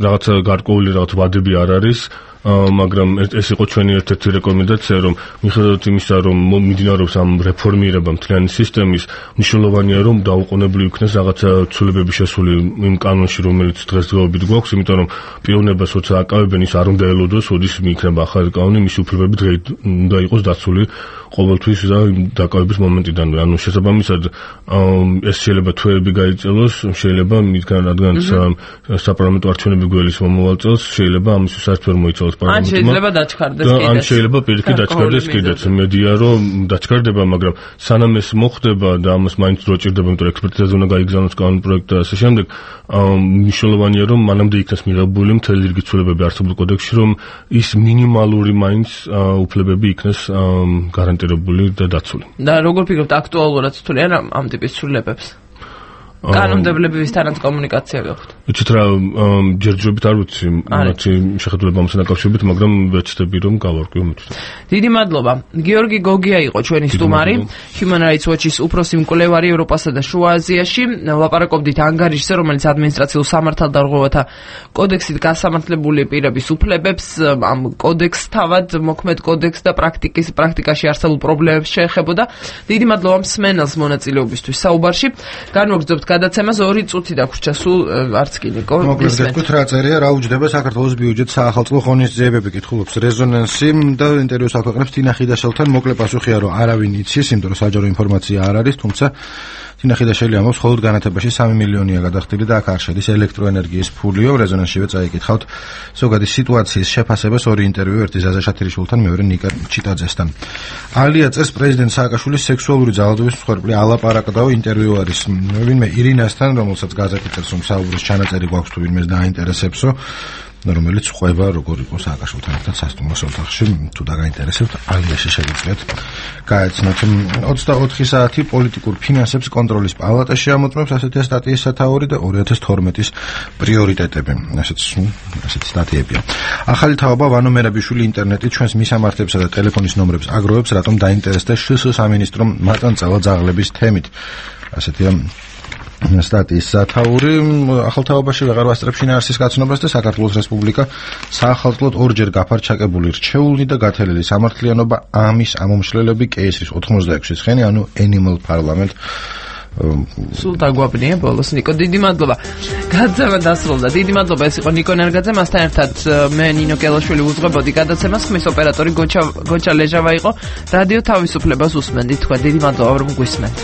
რაღაცა გარკვეული რაღაც ვადები არ არის. მაგრამ ეს იყო ჩვენი ერთ-ერთი რეკომენდაცია, რომ მიუხედავად იმისა, რომ მიმდინარეობს ამ რეფორმირება მთლიანი სისტემის, მნიშვნელოვანია რომ დაუყოვნებლივ იქნეს რაღაცა ცვლილებები შესული იმ კანონში, რომელიც დღესდღეობით გვაქვს, იმიტომ რომ პიროვნებას როცა აკავებენ, ის არ უნდა ელოდოს, როდის მიიქნება ახალი კანონი, მისი უფლებები დღეით უნდა იყოს დაცული ყოველთვის და დაკავების მომენტიდან. ანუ შესაბამისად ეს შეიძლება თვეები გაიწელოს, შეიძლება მისგან რადგანაც საპარლამენტო არჩევნები გველის მომავალ წელს, შეიძლება ამისთვის საერთოდ ვერ მოიცალოს ან შეიძლება დაჩქარდეს კიდეც. ან შეიძლება პირიქით დაჩქარდეს კიდეც. მედია რომ დაჩქარდება, მაგრამ სანამ ეს მოხდება და ამას მაინც დრო ჭირდება, იმიტომ რომ ექსპერტიზაზე უნდა გაიგზავნოს კანონპროექტი და ასე შემდეგ, მნიშვნელოვანია რომ მანამდე იქნეს მიღებული მთელი რიგი ცვლილებები არსებულ კოდექსში, რომ ის მინიმალური მაინც უფლებები იქნეს გარანტირებული და დაცული. და როგორ ფიქრობთ, აქტუალურად თვლიან ამ ტიპის ცვლილებებს? კანონმდებლებისთანაც კომუნიკაცია გაქვთ. იცით რა, ჯერჯერობით არ ვიცი, მათი შეხედულება ამასთან დაკავშირებით, მაგრამ ვეცდები რომ გავარკვიო მეთქი. დიდი მადლობა. გიორგი გოგია იყო ჩვენი სტუმარი, Human Rights Watch-ის უფროსი მკვლევარი ევროპასა და შუა აზიაში. ვლაპარაკობდით ანგარიშზე, რომელიც ადმინისტრაციულ სამართალდარღვევათა კოდექსით გასამართლებული პირების უფლებებს, ამ კოდექსს თავად მოქმედ კოდექსს და პრაქტიკის პრაქტიკაში არსებულ პრობლემებს შეეხებოდა. დიდი მადლობა მსმენელს მონაწილეობისთვის საუბარში. განვაგრძობთ გადაცემას ორი წუთი დაგვრჩა სულ არც კი ნიკო. მოკლედ გეტყვით რა წერია, რა უჯდება საქართველოს ბიუჯეტს საახალწლო ღონისძიებები, კითხულობს რეზონანსი და ინტერვიუს აქვეყნებს თინა ხიდაშელთან. მოკლე პასუხია რომ არავინ იცის, იმიტომ რომ საჯარო ინფორმაცია არ არის, თუმცა თინა ხიდაშელი ამბობს, მხოლოდ განათებაში სამი მილიონია გადახდილი და აქ არ შედის ელექტროენერგიის ფულიო. რეზონანსშივე წაიკითხავთ ზოგადი სიტუაციის შეფასებას, ორი ინტერვიუ, ერთი ზაზა შათირიშვილთან, მეორე ნიკა ჩიტაძესთან. ალია წერს, პრეზიდენტ სააკაშვილის სექსუალური ძალადობის მსხვერპლი ალაპარაკდაო. ინტერვიუ არის ვინმე ირინასთან, რომელსაც გაზეთი წერს, რომ საუბრის ჩანაწერი გვაქვს თუ ვინმეს დააინტერესებსო, რომელიც ყვება როგორ იყო სააკაშვილთან ერთად სასტუმროს ოთახში. თუ დაგაინტერესებთ, ალიაში შეგიძლიათ გაეცნოთ. ოცდაოთხი საათი პოლიტიკურ ფინანსებს კონტროლის პალატაში ამოწმებს, ასეთი სტატიის სათაური და ორი ათას თორმეტის პრიორიტეტები. ასეთ ასეთ სტატიებია. ახალი თაობა ვანო მერაბიშვილი ინტერნეტით ჩვენს მისამართებსა და ტელეფონის ნომრებს აგროვებს, რატომ დაინტერესდა შს სამინისტრომ მაწანწალა ძაღლების თემით. ასეთია სტატიის სათაური. ახალ თაობაში ვეღარ ვასწრებს შინაარსის გაცნობას და საქართველოს რესპუბლიკა საახალწლოდ ორჯერ გაფარჩაკებული რჩეული და გათელილი სამართლიანობა ამის ამომშლელები კეისრის ოთხმოცდაექვსი ცხენი, ანუ Animal Parliament. სულ დაგვაბნია ბოლოს ნიკო, დიდი მადლობა. გადაცემა დასრულდა. დიდი მადლობა, ეს იყო ნიკო ნერგაძე, მასთან ერთად მე ნინო კელაშვილი უძღვებოდი გადაცემას, ხმის ოპერატორი გოჩა გოჩა ლეჟავა იყო. რადიო თავისუფლებას უსმენდით თქვენ. დიდი მადლობა რომ გვისმენთ.